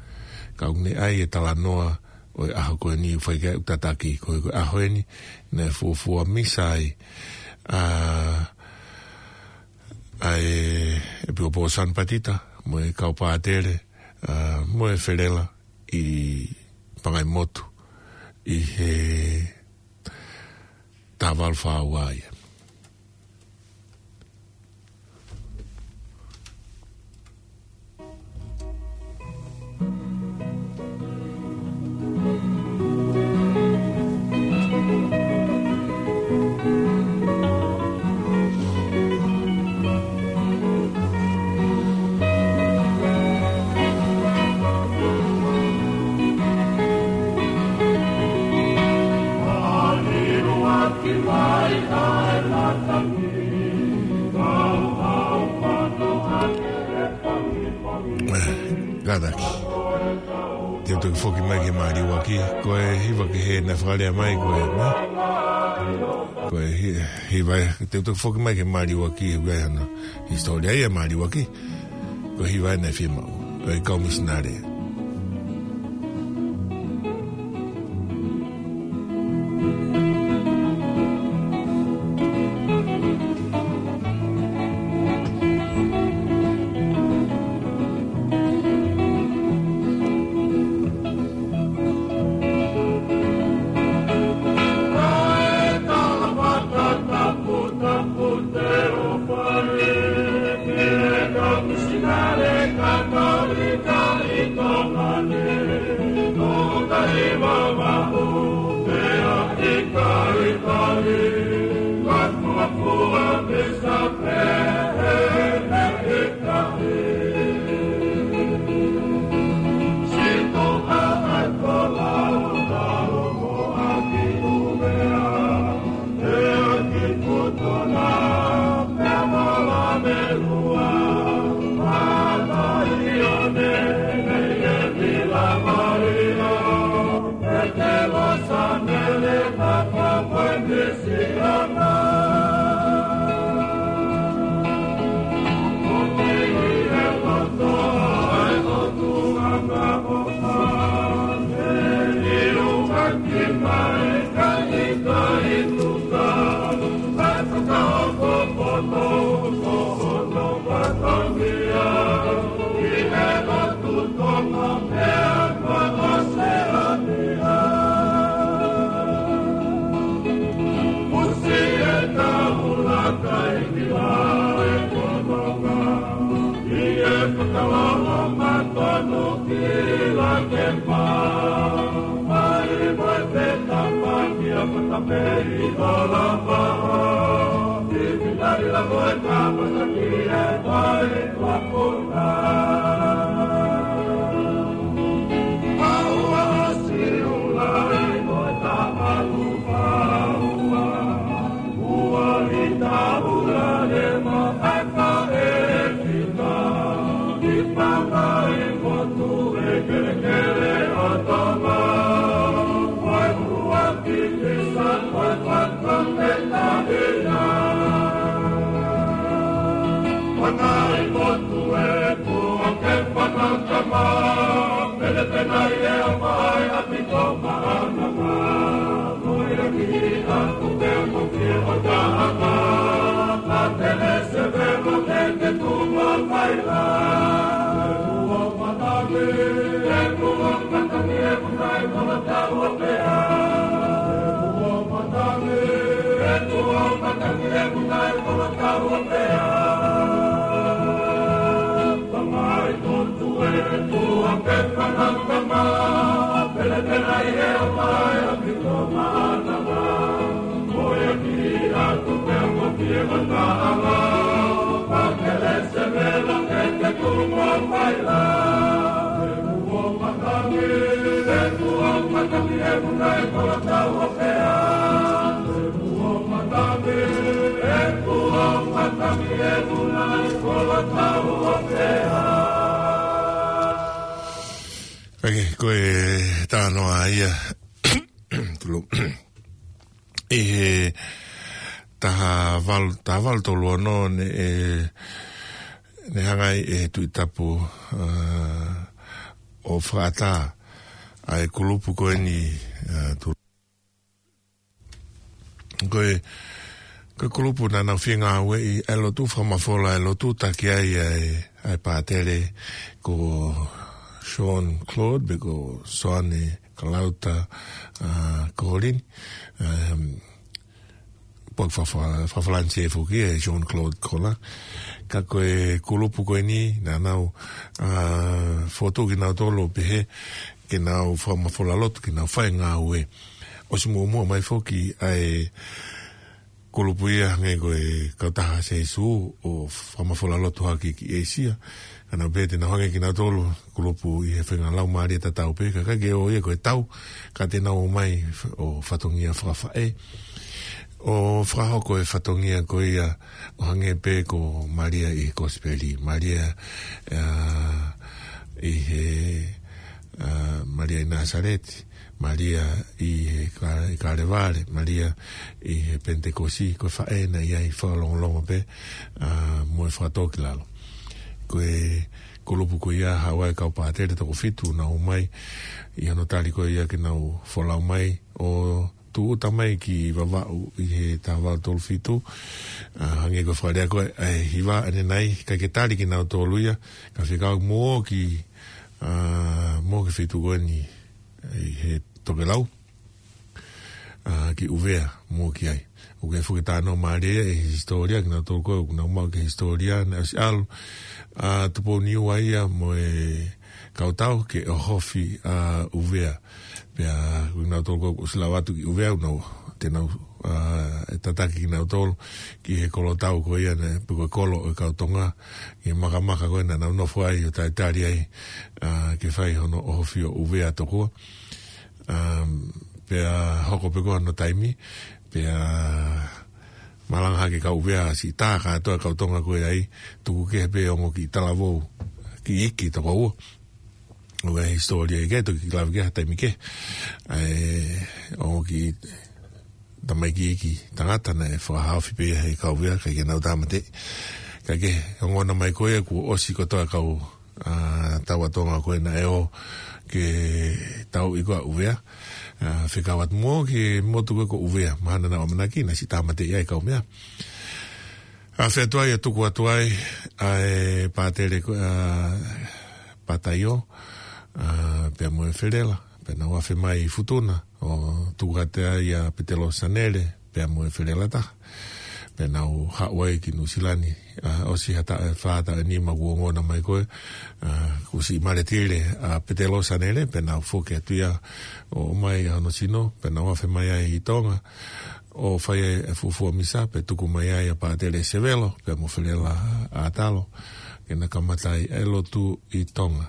Ka ʻoku ne ʻai e talanoa ʻo e ʻaho ko eni ʻoku fai ki ai ʻeku tataki, ko e, ko e ʻaho eni naʻe fuofua misa ai ʻa, ʻa e ʻEpikopō Sani Patita, mo e kau pātele, ʻa, mo e felela ʻi Pangaimotu, ʻi he taha valu fā ua ia. Kātaki. Te u toki foki mai ki he māliuaki, ko e hiva kehe naʻe fakalea mai, ko e, nē? Ko e hi-, hiva, te u toki foki mai ki he māliuaki, ʻoku ʻi ai hano hisitōlia ia māliuaki, ko e hiva naʻe fiemaʻu ʻe he kau misinale. Ake, ko e talanoa ia. Tulu. ʻI he taha valu, taha valu tolu ono ne, e, ne hanga ai ʻe he Tuʻi Tapu, ā, ʻo fakaʻatā ʻa e kulupu ko eni, ā, tu-, ko e, ko e kulupu naʻa nau fengāueʻi ʻa e lotu fakamafola, ʻa e lotu taki ai ʻa e, ʻa e pātele ko Jean Claude, pe ko Soane Kalauta, ā, Kolini. Ā, pok fa-, fa-, fa-, Falanisē foki ʻe Jean Claude Collin. Ka ko e kulupu ko eni, naʻa nau, ā, fokotuʻu kinautolu pehē ke nau fakamafola lotu, ke nau fai ngāue. ʻOsi muʻomuʻa mai foki ʻa e kulupu ia hangē ko e Kautaha Sēsū ʻo fakamafola lotu hake ki ʻĒsia. Ka nau pehē te nau hangē kinautolu kulupu ʻi he faʻahinga laumālie tatau pē, ka ʻikai ke ʻo ia ko e tau, ka te nau ō mai f-, ʻo fatongia fakafaʻē. ʻO fakahoko e fatongia ko ia ʻo hangē pē ko Malia ʻi he Kosipeli, Malia, ā, ʻi he, ā, Malia ʻi Nāsaleti, Malia ʻi he Ka-, ʻi Kalevale, Malia ʻi he Penitekosi, ko e faʻē naʻe ʻi ai fakalongolongo pē, ā, mo e fakatōkilalo. Ko e kulupu ko ia haʻu ai e kau pātele toko fitu naʻa nau ō mai ʻi hono tali ko ia ke nau folau mai ʻo tūʻuta mai ki Vavaʻu ʻi he taha valu tolu fitu, ā, hangē ko e fakalea ko ē ʻa e hiva ʻanenai, ʻikai ke tali kinautolu ia, ka fekau mo ki, ā, mo ki Fitu ko eni, ʻi he tokelau, ā, ki ʻUvea mo ki ai. ʻOku ʻi ai foki e talanoa mālie ʻi he hisitōlia, kinautolu ko ē ʻoku nau maʻu ki he hisitōlia, naʻe ʻosi ʻalu ʻa Tupou Niua ia mo e kau tau ke ʻohofi ʻa ʻUvea. Pea ko kinautolu ko ē ʻoku ʻosi lava atu ki ʻUvea, ʻoku nau, te nau, ā, ʻe tataki kinautolu ki he kolo tau ko ia naʻe, pe ko e kolo ʻo e kau Tonga, ki he makamaka ko ē naʻa nau nofo ai ʻo talitali ai, ā, ke fai hono ʻohofi ʻo ʻUvea tokua. Um, pea hoko pē ko ē hono taimi, pea malanga hake e kau ʻUvea, siʻi tā kātoa e kau Tonga ko ē ai, tuku kehe pē ongo kiʻi talavou, kiʻi iiki toko ua. ʻOku ʻi ai e hisitōlia ia ke toki lave ki ai ha taimi kehe. ʻA e ongo kiʻi tamaiki iiki tangata naʻe fakahaofi pē ia ʻe he kau ʻUvea, ʻikai ke nau tāmateʻi. Ka ke ongona mai ko ē kuo ʻosi kotoa e kau, ā, taua Tonga ko ē naʻe ō ke tauʻi ko ē ʻa ʻUvea. Ā, fekau atu mo e kiʻi motu ko ē ko ʻUvea, mahalo naʻa nau ʻamanaki naʻe siʻi tāmateʻi ai e kau meʻa. Ā, afe atu ai ʻo tuku atu ai ʻa e pātele ko, ā, Pataio, ā, pea mo e Felela, pea nau afe mai ʻi Futuna, ʻo tuku atu ai ʻa Petelō Sanele, pea mo e Felela taha. Pea nau haʻu ai ki Nuʻusila ni, ā, ʻosi ha taʻu ʻe fā, taʻu ʻe nima kuo ongona mai ko ē, ā, kuo siʻi maletile ʻa Petelō Sanele, pea nau foki atu ia ʻo ʻomai ʻa hono sino, pea nau afe mai ai ʻi Tonga, ʻo fai ai e fuofua misa, pea tuku mai ai ʻa Pātele Sevelo, pea mo Felela ʻAtalo, ke na kamata ai e lotu ʻi Tonga.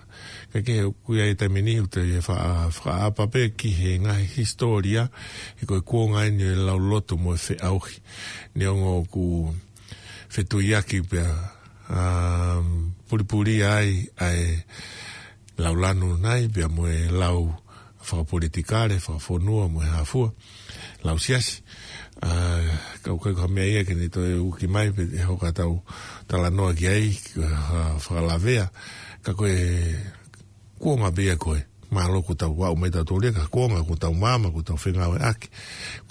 Ka ke ʻoku ʻi ai e taimi ni ʻoku te fa-, fakaʻapa pē ki he ngaahi hisitōlia, he ko e kuonga eni ʻo e lau lotu mo e feʻauhi. Neongo ʻoku fetuiaki pea, um, pulipuli ai ʻa e lau lanu nai, pea mo e lau fakapolitikale, fakafonua, mo e hā fua, lau siasi. Ā, ka ʻoku ʻikai ko ha meʻa ia ke ne toe uki mai, pe ʻe hoko ʻetau talanoa ki ai, ʻa, fakalavea, ka ko e kuonga pē ia ko ē. Mālō kuo tau aʻu mai tautolu ia ki ha kuonga kuo tau maama, kuo tau fengāueʻaki.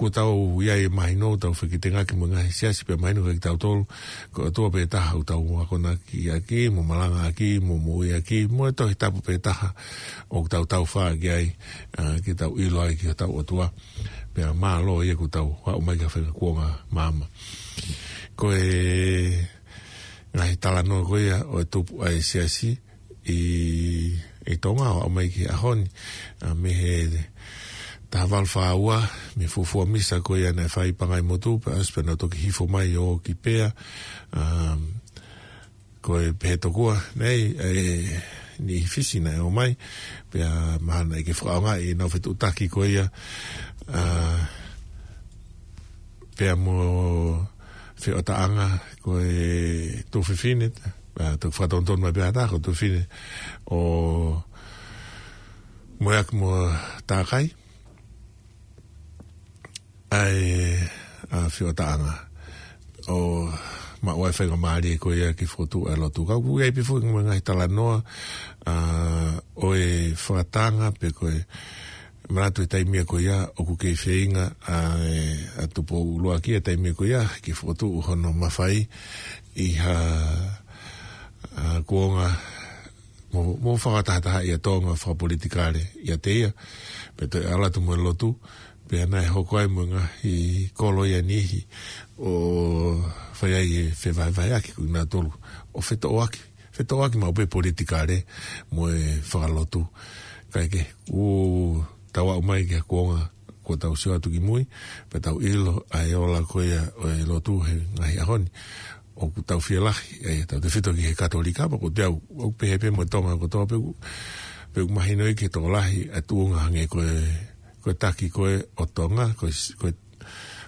Kuo tau ʻi ai e mahino, tau fekitengaki mo e ngaahi siasi pea mahino kiate kitautolu, ko e ʻOtua pē taha ʻoku tau akonaki ʻaki, mo malangaʻaki, mo moʻuiʻaki, mo e Tohi Tapu pē taha ʻoku tau taufā ki ai, ā, ke tau ʻilo ai ki hotau ʻOtua. Pea mālō ia kuo tau aʻu mai ki ha faʻahinga kuonga maama. Ko e ngaahi talanoa ko ia ʻo e tupu ʻa e siasi ʻi, ʻi Tonga ʻo aʻu mai ki he ʻaho ni, ā, mei he taha valu fā ua, mei he fuofua misa ko ia naʻe fai ʻi Pangaimotu, pea ʻosi pea nau toki hifo mai ʻo ō ki Pea, ā, ko e pehē tokua, nei, ʻe, niʻihi Fisi naʻe ō mai, pea mahalo naʻe ʻikai ke fakaʻaongaʻi ʻenau fetuʻutaki ko ia, ā, pea mo e feʻotaʻanga ko e tuofefine, ā, toki fakatonutonu mai pē ha taha ko e tuofefine ʻo Moeaki mo Takai, ʻa e, ā, feʻotaʻanga ʻo maʻu ai e faingamālie ko ia ke fokotuʻu ʻa e lotu. Ka ʻoku ʻi ai pē foki mo e ngaahi talanoa, ā, ʻo e fakatanga pe ko e manatu he taimi ko ia ʻoku kei feinga ʻa e, ʻa Tupou ʻUluaki he taimi ko ia ke fokotuʻu hono mafai ʻi ha, ā, kuonga mo, mo fakatahataha ʻi a Tonga fakapolitikale ʻiate ia, pea toe ʻalu atu mo e lotu, pea naʻe hoko ai mo e ngaahi kolo ia niʻihi ʻo fai ai e fevahevaheʻaki ko kinautolu, ʻo fetoʻoaki, fetoʻoaki maʻu pē politikale mo e fakalotu. Kae kehe, ʻoku tau aʻu mai ki ha kuonga kuo tau sio atu ki mui, pea tau ʻilo ʻa e ola ko ia ʻo e lotu he ngaahi ʻaho ni. ʻOku tau fielahi, ʻe, tautefito ki he Katolika, pea ko e teau, ʻoku pehē pē mo Tonga kotoa pē ʻoku, pea ʻoku mahino ia ki he tokolahi ʻa e tuʻunga hangē ko e, ko e taki ko ē ʻo Tonga, ko e s-, ko e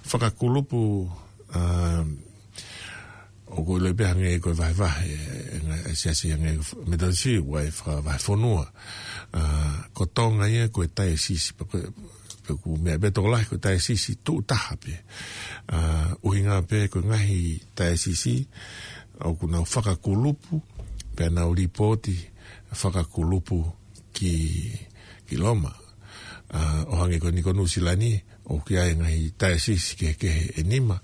fakakulupu, ā, ʻoku ʻiloʻi pē hangē ko e vahevahe, ʻe, ʻe, ngaahi, ʻe siasi hangē ko e f-, Metotisi, ʻoku ʻi ai e fakavahefonua. Ā, ko Tonga ia ko e taiosisi, pea ko e, pea ʻoku meʻa pē tokolahi ko e taiosisi tuʻutaha pē. Ā, ʻuhinga pē ko e ngaahi taiosisi ʻoku nau fakakulupu, pea nau lipooti fakakulupu ki, ki Loma. Ā, ʻo hangē ko eni ko Nuʻusila ni, ʻoku ʻi ai e ngaahi taiosisi kehekehe ʻe nima,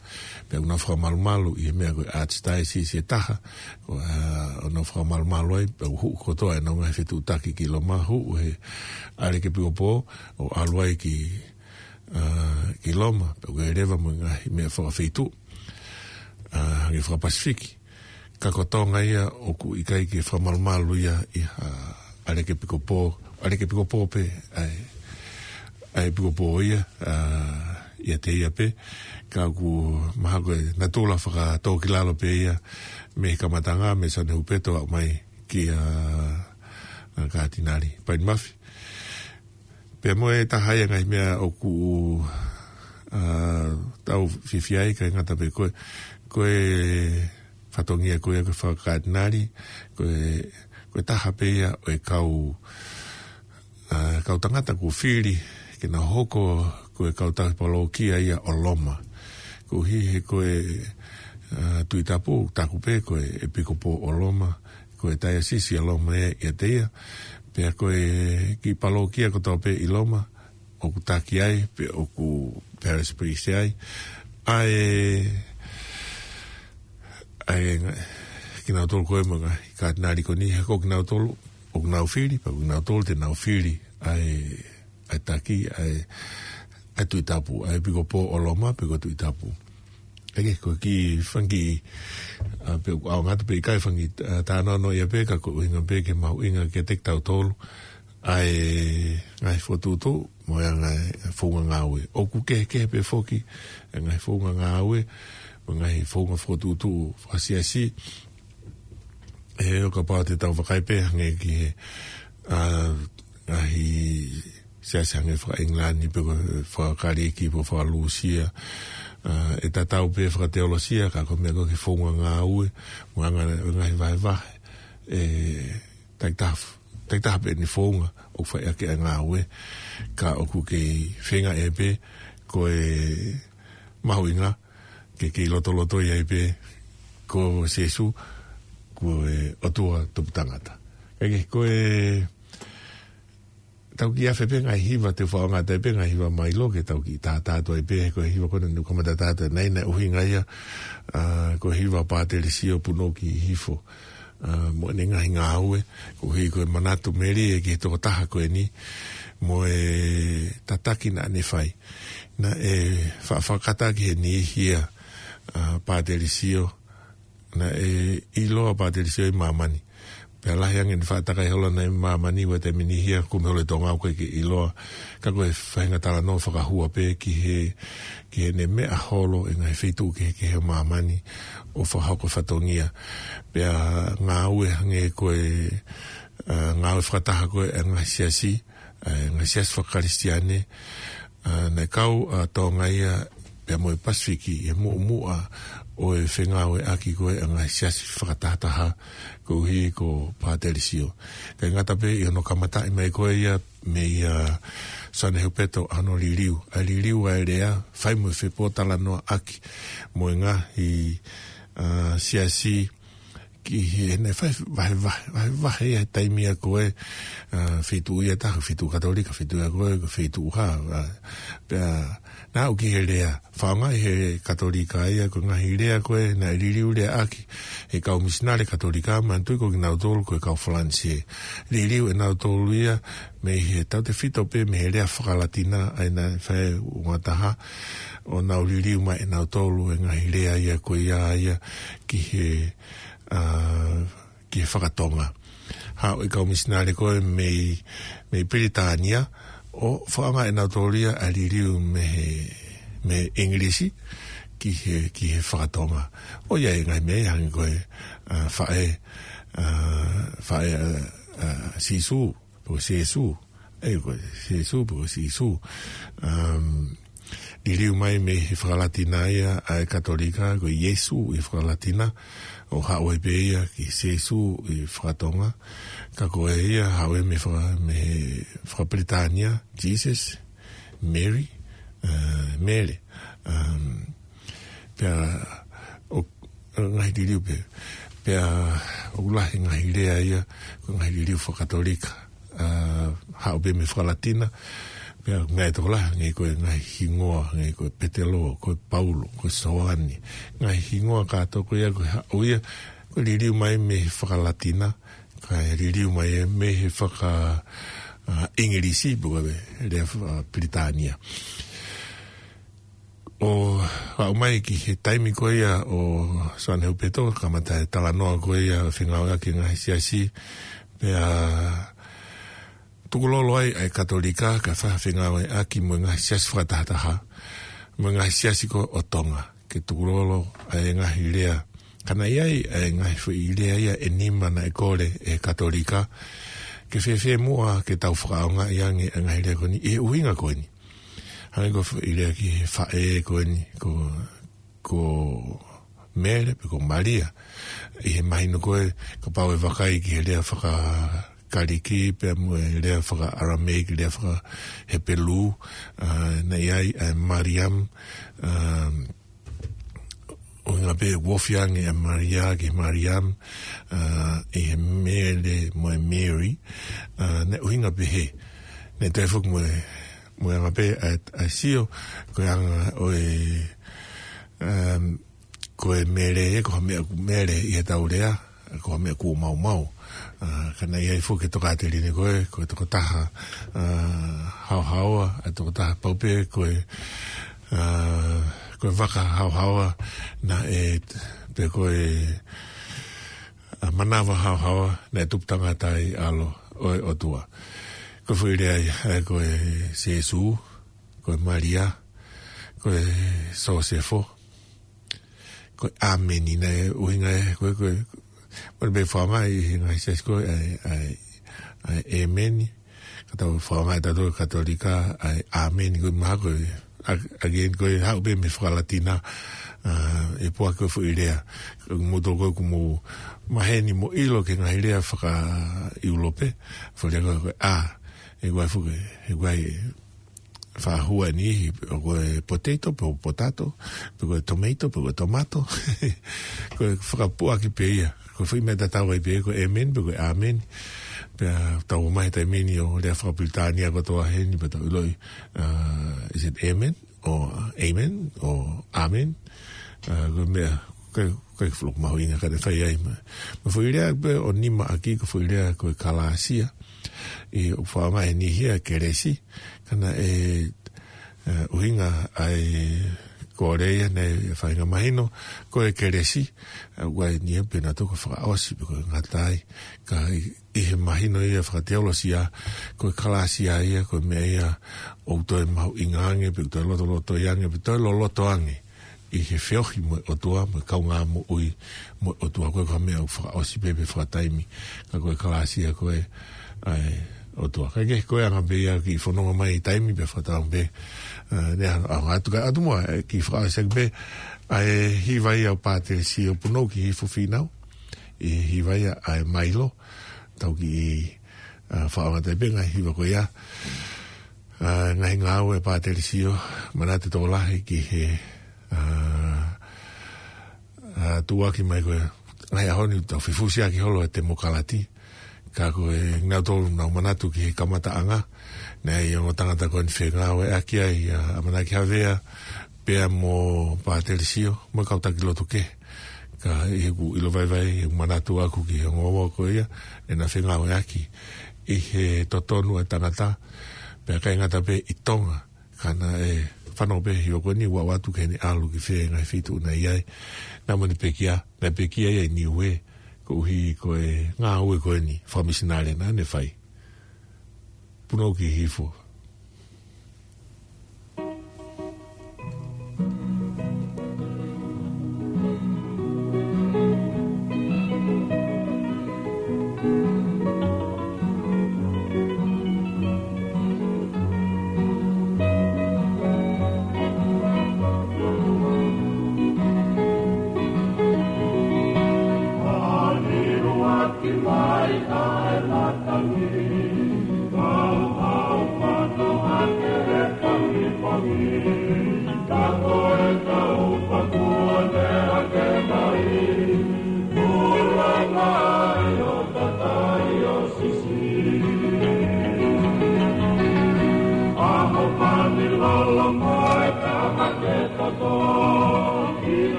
pea ʻoku nau fakamalumalu ʻi he meʻa ko e archdiocese ʻe taha, ko, ā, ʻoku nau fakamalumalu ai, pea ʻoku hū kotoa ʻenau ngaahi fetuʻutaki ki Loma, hū he ʻalekepikopo, ʻo ʻalu ai ki, ā, ki Loma, pea ʻoku leva mo e ngaahi meʻa fakafeituʻu, ā, hangē fakaPasifiki. Ka ko Tonga ia ʻoku ʻikai ke fakamalumalu ia ʻi ha ʻalekepikopo, ʻalekepikopo pē, ʻa e, ʻa e ʻepikopo ia, ā, ʻiate ia pē, ka ʻoku mahalo ko e natula fakatōkilalo pē ia, mei he kamataʻanga, mei Sione Hupeto aʻu mai kia, ā, Katinali Paini Mafi. Pea mo e taha ia e ngaahi meʻa ʻoku, ā, tau fiefia ai, ʻikai ngata pē ko e, ko e fatongia ko ia ko e fakakatinali, ko e, ko e taha pē ia ʻo e kau, ā, kau tangata kuo fili ke nau hoko ko e kau tauhi palokia ia ʻo Loma. Koeʻuhi he ko e, ā, Tuʻi Tapu, taku pē ko e ʻepikopo ʻo Loma, ko e taiosisi ʻa Loma ia ʻiate ia, pea ko e kiʻi palokia kotoa pē ʻi Loma, ʻoku taki ai, pe ʻoku parish priest ai. ʻA e, ʻa e ngaahi, kinautolu ko ē mo e ngaahi katinali ko eni, he ko kinautolu, ʻoku nau fili, pea ko kinautolu te nau fili, ʻa e, ʻa e taki, ʻa e, ʻa e Tuʻi Tapu, ʻa e ʻepikopo ʻo Loma, pe ko e Tuʻi Tapu. ʻEke, ko e kiʻi fanga kiʻi, ā, pe ʻoku ʻaonga atu pe ʻikai fanga kiʻi, ā, talanoa ia pē ka ko e ʻuhinga pē ke mahuʻinga kiate kitautolu, ʻa e ngaahi fokotuʻutuʻu, mo e ngaahi founga ngāue. ʻOku kehekehe pē foki, ʻa e ngaahi founga ngāue, mo e ngaahi founga fokotuʻutuʻu fakasiasi, ʻe, ʻo kapau te tau vakai pē hangē ki he, ā, ngaahi siasi hangē fakaʻIngilani pe ko e fakaKalisi pe ko e fakaLūsia, ā, ʻe tatau pē fakateolosia, ka ko e meʻa ko e founga ngāue, mo e anga e ngaahi vahevahe, ʻe, takitaha, takitaha pē ʻene founga ʻoku fai ʻaki ʻa e ngāue, ka ʻoku kei feinga ʻe pē, ko e mahuʻinga, ke kei lotolotoi ai pē, ko Sīsū, ko e ʻOtua tupu tangata. ʻEke, ko e, Tau kiʻi afe pē ngaahi hiva, te u fakaʻaongaʻi pē ngaahi hiva mai loa ke tau kiʻi tātā atu ai pē, ko e hiva ko ena naʻa ku kamata tātā, naʻe ʻuhinga ia, ā, ko e hiva Pātelesio Punou ki Hifo, ā, mo ʻene ngaahi ngāue, koeʻuhi ko e manatu melie ki he tokotaha ko eni, mo e tataki naʻa ne fai. Naʻe fa-, fakakata ki he niʻihi ia, ā, Pātelesio, naʻe ʻiloa Pātelesio ʻi māmani. Pea lahi ange ʻene faʻa takai holo ʻi māmani, ʻi he taimi niʻihi ia kumi holo e Tonga ʻoku ʻikai ke ʻiloa, ka ko e faʻahinga talanoa fakahua pē ki he, ki heʻene meʻa holo ʻi he ngaahi feituʻu kehekehe ʻo māmani ʻo fakahoko fatongia. Pea ngāue hangē ko e, ā, ngāue fakataha ko ē ʻa e ngaahi siasi, ʻa e ngaahi siasi faka-Kalisitiane, ā, naʻe kau ʻa Tonga ia pea mo e Pasifiki ʻi he muʻomuʻa ʻo e fengāueʻaki ko ē ʻa e ngaahi siasi fakatahataha koeʻuhi ko Pātelesio. ʻIkai ngata pē ʻi hono kamataʻi mai ko ē ia mei, ā, Soane Hupeto ʻa hono liliu. ʻA e liliu ʻa e lea, fai mo e fepōtalanoaʻaki mo e ngaahi, ā, siasi, ki he, naʻe fai vahevahe, vahevahe ia he taimi ia ko ē, ā, feituʻu ia ʻe taha, feituʻu Katolika, feituʻu ia ko ē, ko e feituʻu hā, ā, pea naʻa ku ki he lea, fakaʻaongaʻi he Katolika ia, ko e ngaahi lea ko ē, naʻe liliu leaʻaki ʻe he kau misinale Katolika, manatuʻi ko kinautolu ko e kau Falanisē. Liliu ʻe nautolu ia, mei he tautefito pē, mei he lea faka-Latina, ʻa ia naʻe fai ʻe he ua taha, ʻo nau liliu mai ʻe nautolu e ngaahi lea ia ko ia ia, ki he, ā, ki he faka-Tonga. Haʻu e kau misinale ko ē mei, mei Pilitānia, ʻo fakaʻaongaʻi ʻe nautolu ia ʻa e liliu mei he, mei he ʻIngilisi ki he, ki he faka-Tonga. ʻO ʻi ai e ngaahi meʻa ia hangē ko e, ā, faʻē, ā, faʻē, ā, ā, Sīsū, pe ko Sēsū. ʻE, ko Sēsū, pe ko Sīsū. Um, liliu mai mei he faka-Latina ia ʻa e Katolika, ko Iesu ʻi he faka-Latina, ʻo haʻu ai pē ia ki Sēsū ʻi he faka-Tonga. Ka ko e ia, haʻu ia mei he faka-, mei he faka-Pilitānia, Jesus, Mary, ā, Mele. Um, pea ʻo, ʻo ngaahi liliu pē. Pea ʻoku lahi ngaahi lea ia, ko e ngaahi liliu faka-Katolika. Ā, haʻu pē mei he faka-Latina, pea ngaahi tokolahi, ngaahi ko e ngaahi hingoa, ngaahi ko e Petelo, ko e Paulo, ko e Soane. Ngaahi hingoa kātoa ko ia, ko e haʻu ia, ko e liliu mai mei he faka-Latina, kae liliu mai ia mei he faka-, ā, ʻIngilisi, pe ko e lea faka-Pilitānia. ʻO aʻu mai ki he taimi ko ia ʻo Soane Hupeto, kamata e talanoa ko ia fengāueʻaki e ngaahi siasi, pea tukulolo ai ʻa e Katolika, kae fai ha fengāueʻaki mo e ngaahi siasi fakatahataha, mo e ngaahi siasi ko ē ʻo Tonga, ke tukulolo ai e ngaahi lea. Ka naʻe ʻi ai ʻa e ngaahi foʻi lea ia ʻe nima naʻe kole ʻe he Katolika, ke fēfē muʻa ke tau fakaʻaongaʻi ange ʻa e ngaahi lea ko eni, ʻi he ʻuhinga ko eni. Hangē ko e foʻi lea ki he faʻē ko eni, ko, ko Mele, pe ko Malia. ʻI he mahino ko ē, kapau ʻe vakai ki he lea faka-Kalisi, pea mo e lea faka-Aramaic, lea faka-Hepelū, ā, naʻe ʻi ai ʻa e Mariam, ā, ʻuhinga pē ʻoku ofi ange ʻa e Malia ki he Mariam, ā, ʻi he Mele mo e Mary, ā, naʻe ʻuhinga pehē. Naʻe toe foki mo e, mo e anga pē ʻa e, ʻa e sio, ko e anga ʻo e, um, ko e Mele, ko ha meʻa ʻoku mele ʻi heʻetau lea, ko ha meʻa ʻoku maumau. Ā, ka naʻe ʻi ai foki e tokāteline ko ē, ko e tokotaha, ā, haohaoa, ʻa e tokotaha pau pē ko e, ā, ko e vaka haohaoa, naʻe, pe ko e, ā, manava haohaoa, naʻe tupu tangata ai ʻAlo ʻo e ʻOtua. Ko e foʻi lea ia, ē, ko e Sēsū, ko e Malia, ko e Sōsefo, ko e ʻĀmeni naʻe ʻuhinga ē, ko e, ko e, ko e pē fakaʻaongaʻi ʻi he ngaahi siasi ko ē, ʻa e, ʻa e, ʻa e ʻēmeni. Ka tau fakaʻaongaʻi ʻe tautolu Katolika, ʻa e ʻĀmeni ko e mahalo ko e, a-, again, ko e haʻu pē mei he faka-Latina, ā, ʻe puake ko e foʻi lea. Mou tokua ko e ʻoku mou maheni mo ʻilo ki he ngaahi lea faka-ʻIulope, foʻi lea ko e, ko e ʻā, ʻe ʻi ai foki, ʻe ʻi ai e faʻahinga niʻihi, pe ko e potato, pe ko e potato, pe ko e tomato, pe ko e tomato. Ko e fakapuaki pē ia. Ko e foʻi meʻa tatau ai pē, ko e ʻēmeni, pe ko e ʻāmeni. Pea tau ō mai he taimi ni ʻo lea fakapilitānia kotoa heni, pea tau ʻiloʻi, uh, is it amen? Or amen? Or amen? Uh, ko e meʻa, ko e, ko e fuʻu mahuʻinga ka te fai ai ma. Ma foʻi lea pē ʻo nima ʻaki, ko e foʻi lea ko e kalāsia. ʻI ʻoku faʻa ʻomai ʻe he niʻihi ia kelesi, ka naʻe, uh, ʻuhinga ai ko e lea ia naʻe faʻahinga mahino, ko e kelesi, uh, ʻoku ʻi ai e niʻihi pē naʻa tau fakaʻosi, pe ko e ngata ai, ka ʻi, ʻi he mahino ia fakateolosia, ko e kalāsia ia, ko e meʻa ia ʻoku toe mahuʻinga ange, pe ʻoku toe lotolotoʻi ange, pe toe loloto ange, ʻi he feohi mo e ʻOtua, mo e kaungā moʻui mo e ʻOtua, ko e ka meʻa ʻoku fakaʻosi pē pe fakataimi, ka ko e kalāsia ko e ʻa e ʻOtua. Ka ke ko e anga pē ia ki fononga mai taimi pe fakatau pē, uh, ne a, a, atu ka, atu mua, eh, ki fakaʻosi pē, ʻa e hiva ia ʻo Pātele Sio Punou ki Hifo Fīnau, ʻi he hiva ia ʻa e Mailo, tau ki, uh, fakaʻosi pē ngaahi hiva ko ia, uh, ngaahi ngāue ʻa Pātele Sio, manatu tokolahi ki he, uh, uh, tuʻuaki mai ko e, ngaahi ʻaho ni tau fifusi ʻaki holo e temokalati, ka ko e nau tolu nau manatu ki he kamataʻanga, naʻe ʻi ai e ongo tangata ko eni fengāueʻaki ai, ʻa, ʻAmanaki Havea, pea mo Pātele Sio, mo e kau taki lotu kehe. Ka ʻi heʻeku ʻilo vaivai, ʻeku manatu ʻaku ki he ongo ua ko ia, ʻena fengāueʻaki ʻi he totonu ʻa e tangata, pea ʻikai ngata pē ʻi Tonga, ka naʻe fanongo pē he hiva ko eni ʻo ʻoatu ki heʻene ʻalu ki fē ngaahi feituʻu naʻe ʻi ai. Naʻa mo ne pekia, naʻe pekia ia ʻi Niuē, koeʻuhi ko e ngāue ko eni fakamisinale naʻa ne fai. Punou ki Hifo.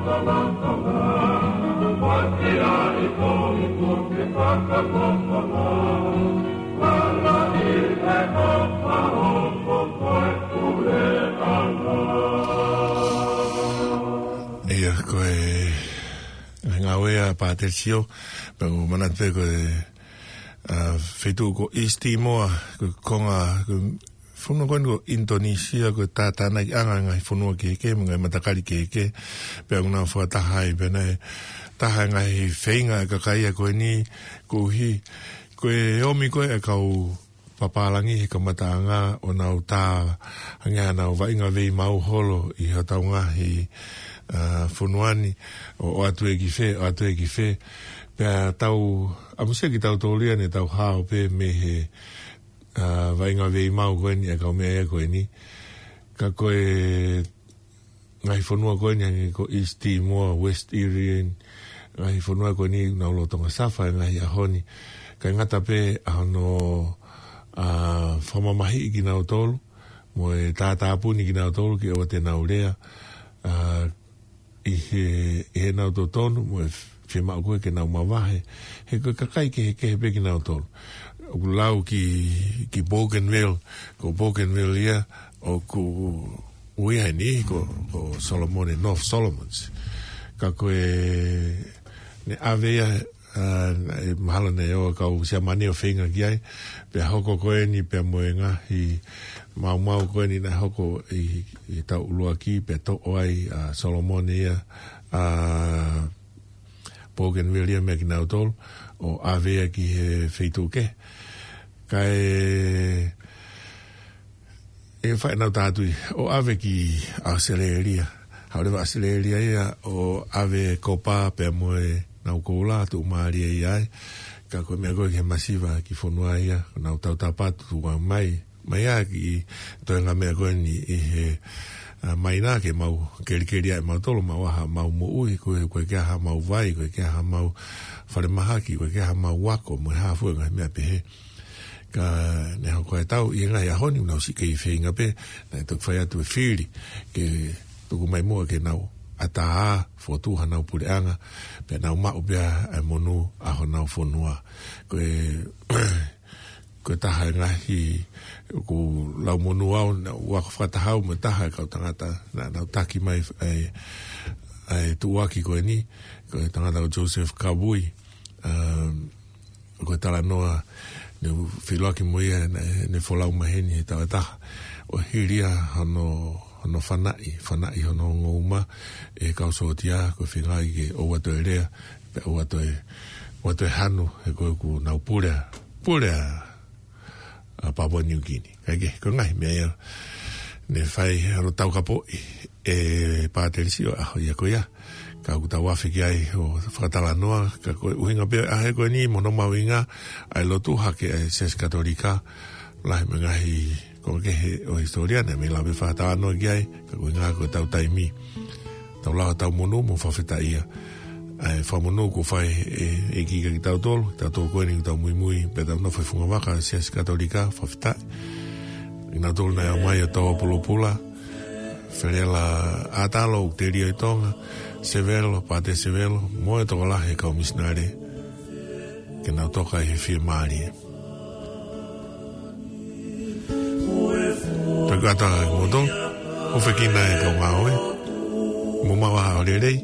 Ia, ko e ngāue ʻa Pātele Sio, pea ʻoku ou manatu pē ko e, ʻa, feituʻu ko East Timor, ko e konga, ko e fonua ko eni ko Indonesia, ko e tātānaki ʻanga e ngaahi fonua kehekehe, mo e ngaahi matakali kehekehe, pea ʻoku nau fakataha ai, pea naʻe taha e ngaahi feinga ʻa e kakai ia ko eni, koeʻuhi, ko e ʻomi ko ē ʻa e kau papālangi he kamataʻanga ʻo nau tā ange ʻenau vaʻinga veimau holo ʻi hotau ngaahi, ʻa, fonua ni, ʻo, ʻoatu ē ki fē, ʻoatu ē ki fē. Pea tau ʻamusia kitautolu ia ne tau hao pē mei he, ʻa, vaʻinga veimau ko eni ʻa e kau meʻa ia ko eni. Ka ko e ngaahi fonua ko eni hangē ko East Timor, West Irian, ngaahi fonua ko eni nau lolotonga safa he ngaahi ʻaho ni. Kae ngata pē ʻa hono, ʻa, fakamamahiʻi kinautolu, mo e tātāpuni kinautolu ke ʻoua te nau lea, ʻa, ʻi he, ʻi heʻenau totonu, mo e fiemaʻu ko ē ke nau mavahe. He ko e kakai kehekehe pē kinautolu. ʻOku lau ki, ki Bougainville, ko Bougainville ia, ʻoku ui ai ni ko, ko Solomone, North Solomons. Ka ko e, ne ʻave ia, ʻa, ʻe mahalo ne ʻoua kau Siamane ʻo feinga ki ai, pea hoko ko eni pea mo e ngaahi maumau ko eni naʻe hoko ʻi, ʻi he taʻu ʻuluaki, pea toʻo ai ʻa Solomone ia, ʻa, Bougainville ia meia kinautolu, ʻo ʻave ia ki he feituʻu kehe. Kae, ʻe fai ʻenau tātui, ʻo ʻave ki ʻAositelēlia. Haʻu leva ʻAositelēlia ia, ʻo ʻave kopa pea mo ʻenau koula, tuʻumālie ia ai. Ka ko e meʻa ko ē ki he masiva ki fonua ia, nau tautapa atu tuku mai. Mai ā ki toenga meʻa ko eni ʻi he, ʻa, mai nā ke mau kelikeli ai mautolu, mau ʻai haʻamau moʻui, ko e, ko e ke ʻai haʻamau vai, ko e ke ʻai haʻamau falemahaki, ko e ke ʻai haʻamau ako, mo e hā fua e ngaahi meʻa pehē. Ka ne hoko e tau, ʻi he ngaahi ʻaho ni, nau siʻi kei feinga pē, naʻe toki fai atu e fili, ke tuku mai muʻa ke nau ʻatā, fotu hanau puleʻanga, pea nau maʻu pē ʻa e monū ʻa honau fonua. Ko e, ko e taha e ngaahi, ʻoku lau monū au, naʻa ku ako fakataha au mo e taha e kau tangata, naʻa nau taki mai ʻa e, ʻa e tuʻuaki ko eni, ko e tangata ko Joseph Kavui, um, ko e talanoa, ne u feʻiloaki mo ia, ne, ne folau mai heni he taʻu ʻe taha. ʻO hili ia hono, hono fanaʻi, fanaʻi hono ongo uma, ʻe he kau sōtia, ko e feinga ke ʻoua toe lea, pea ʻoua toe, ʻoua toe hanu, he ko ē ʻoku nau pule ʻa, pule ʻa, ʻa Papua New Guinea. Kae kehe, ko e ngaahi meʻa ia, ne fai he ʻalu taukapoʻi ʻe Pātele Sio ʻaho ia ko ia. Ka ʻoku tau afe ki ai ʻo fakatalanoa, ka ko e ʻuhinga pē ʻa e ʻaho ko eni mo hono mahuʻinga ʻa e lotu hake ʻa e Siasi Katolika, lahi mo e ngaahi konga kehe ʻo e hisitōlia naʻe mei lava pē fakatalanoa ki ai, ka ko e ʻuhinga ko ʻetau taimi. Tau lau ʻetau monū mo fakafetaʻia. ʻA e fakamonū kuo fai ʻe, ʻe he ʻEiki kiate kitautolu, kitautolu ko eni ʻoku tau muimui, pea tau nofo he fungavaka ʻo e Siasi Katolika, fakafetaʻi. ʻI nautolu naʻe ʻomai ʻo tau pulopula, Felela ʻAtalo ʻoku telia ʻi Tonga, Sevelo, Pātele Sevelo, mo e tokolahi e kau misinale, ke nau toka ʻi he fiemālie. Pea ko e ʻatā kimoutolu, ʻofa ki he kau ngāue, mou maʻu ha ʻaho lelei,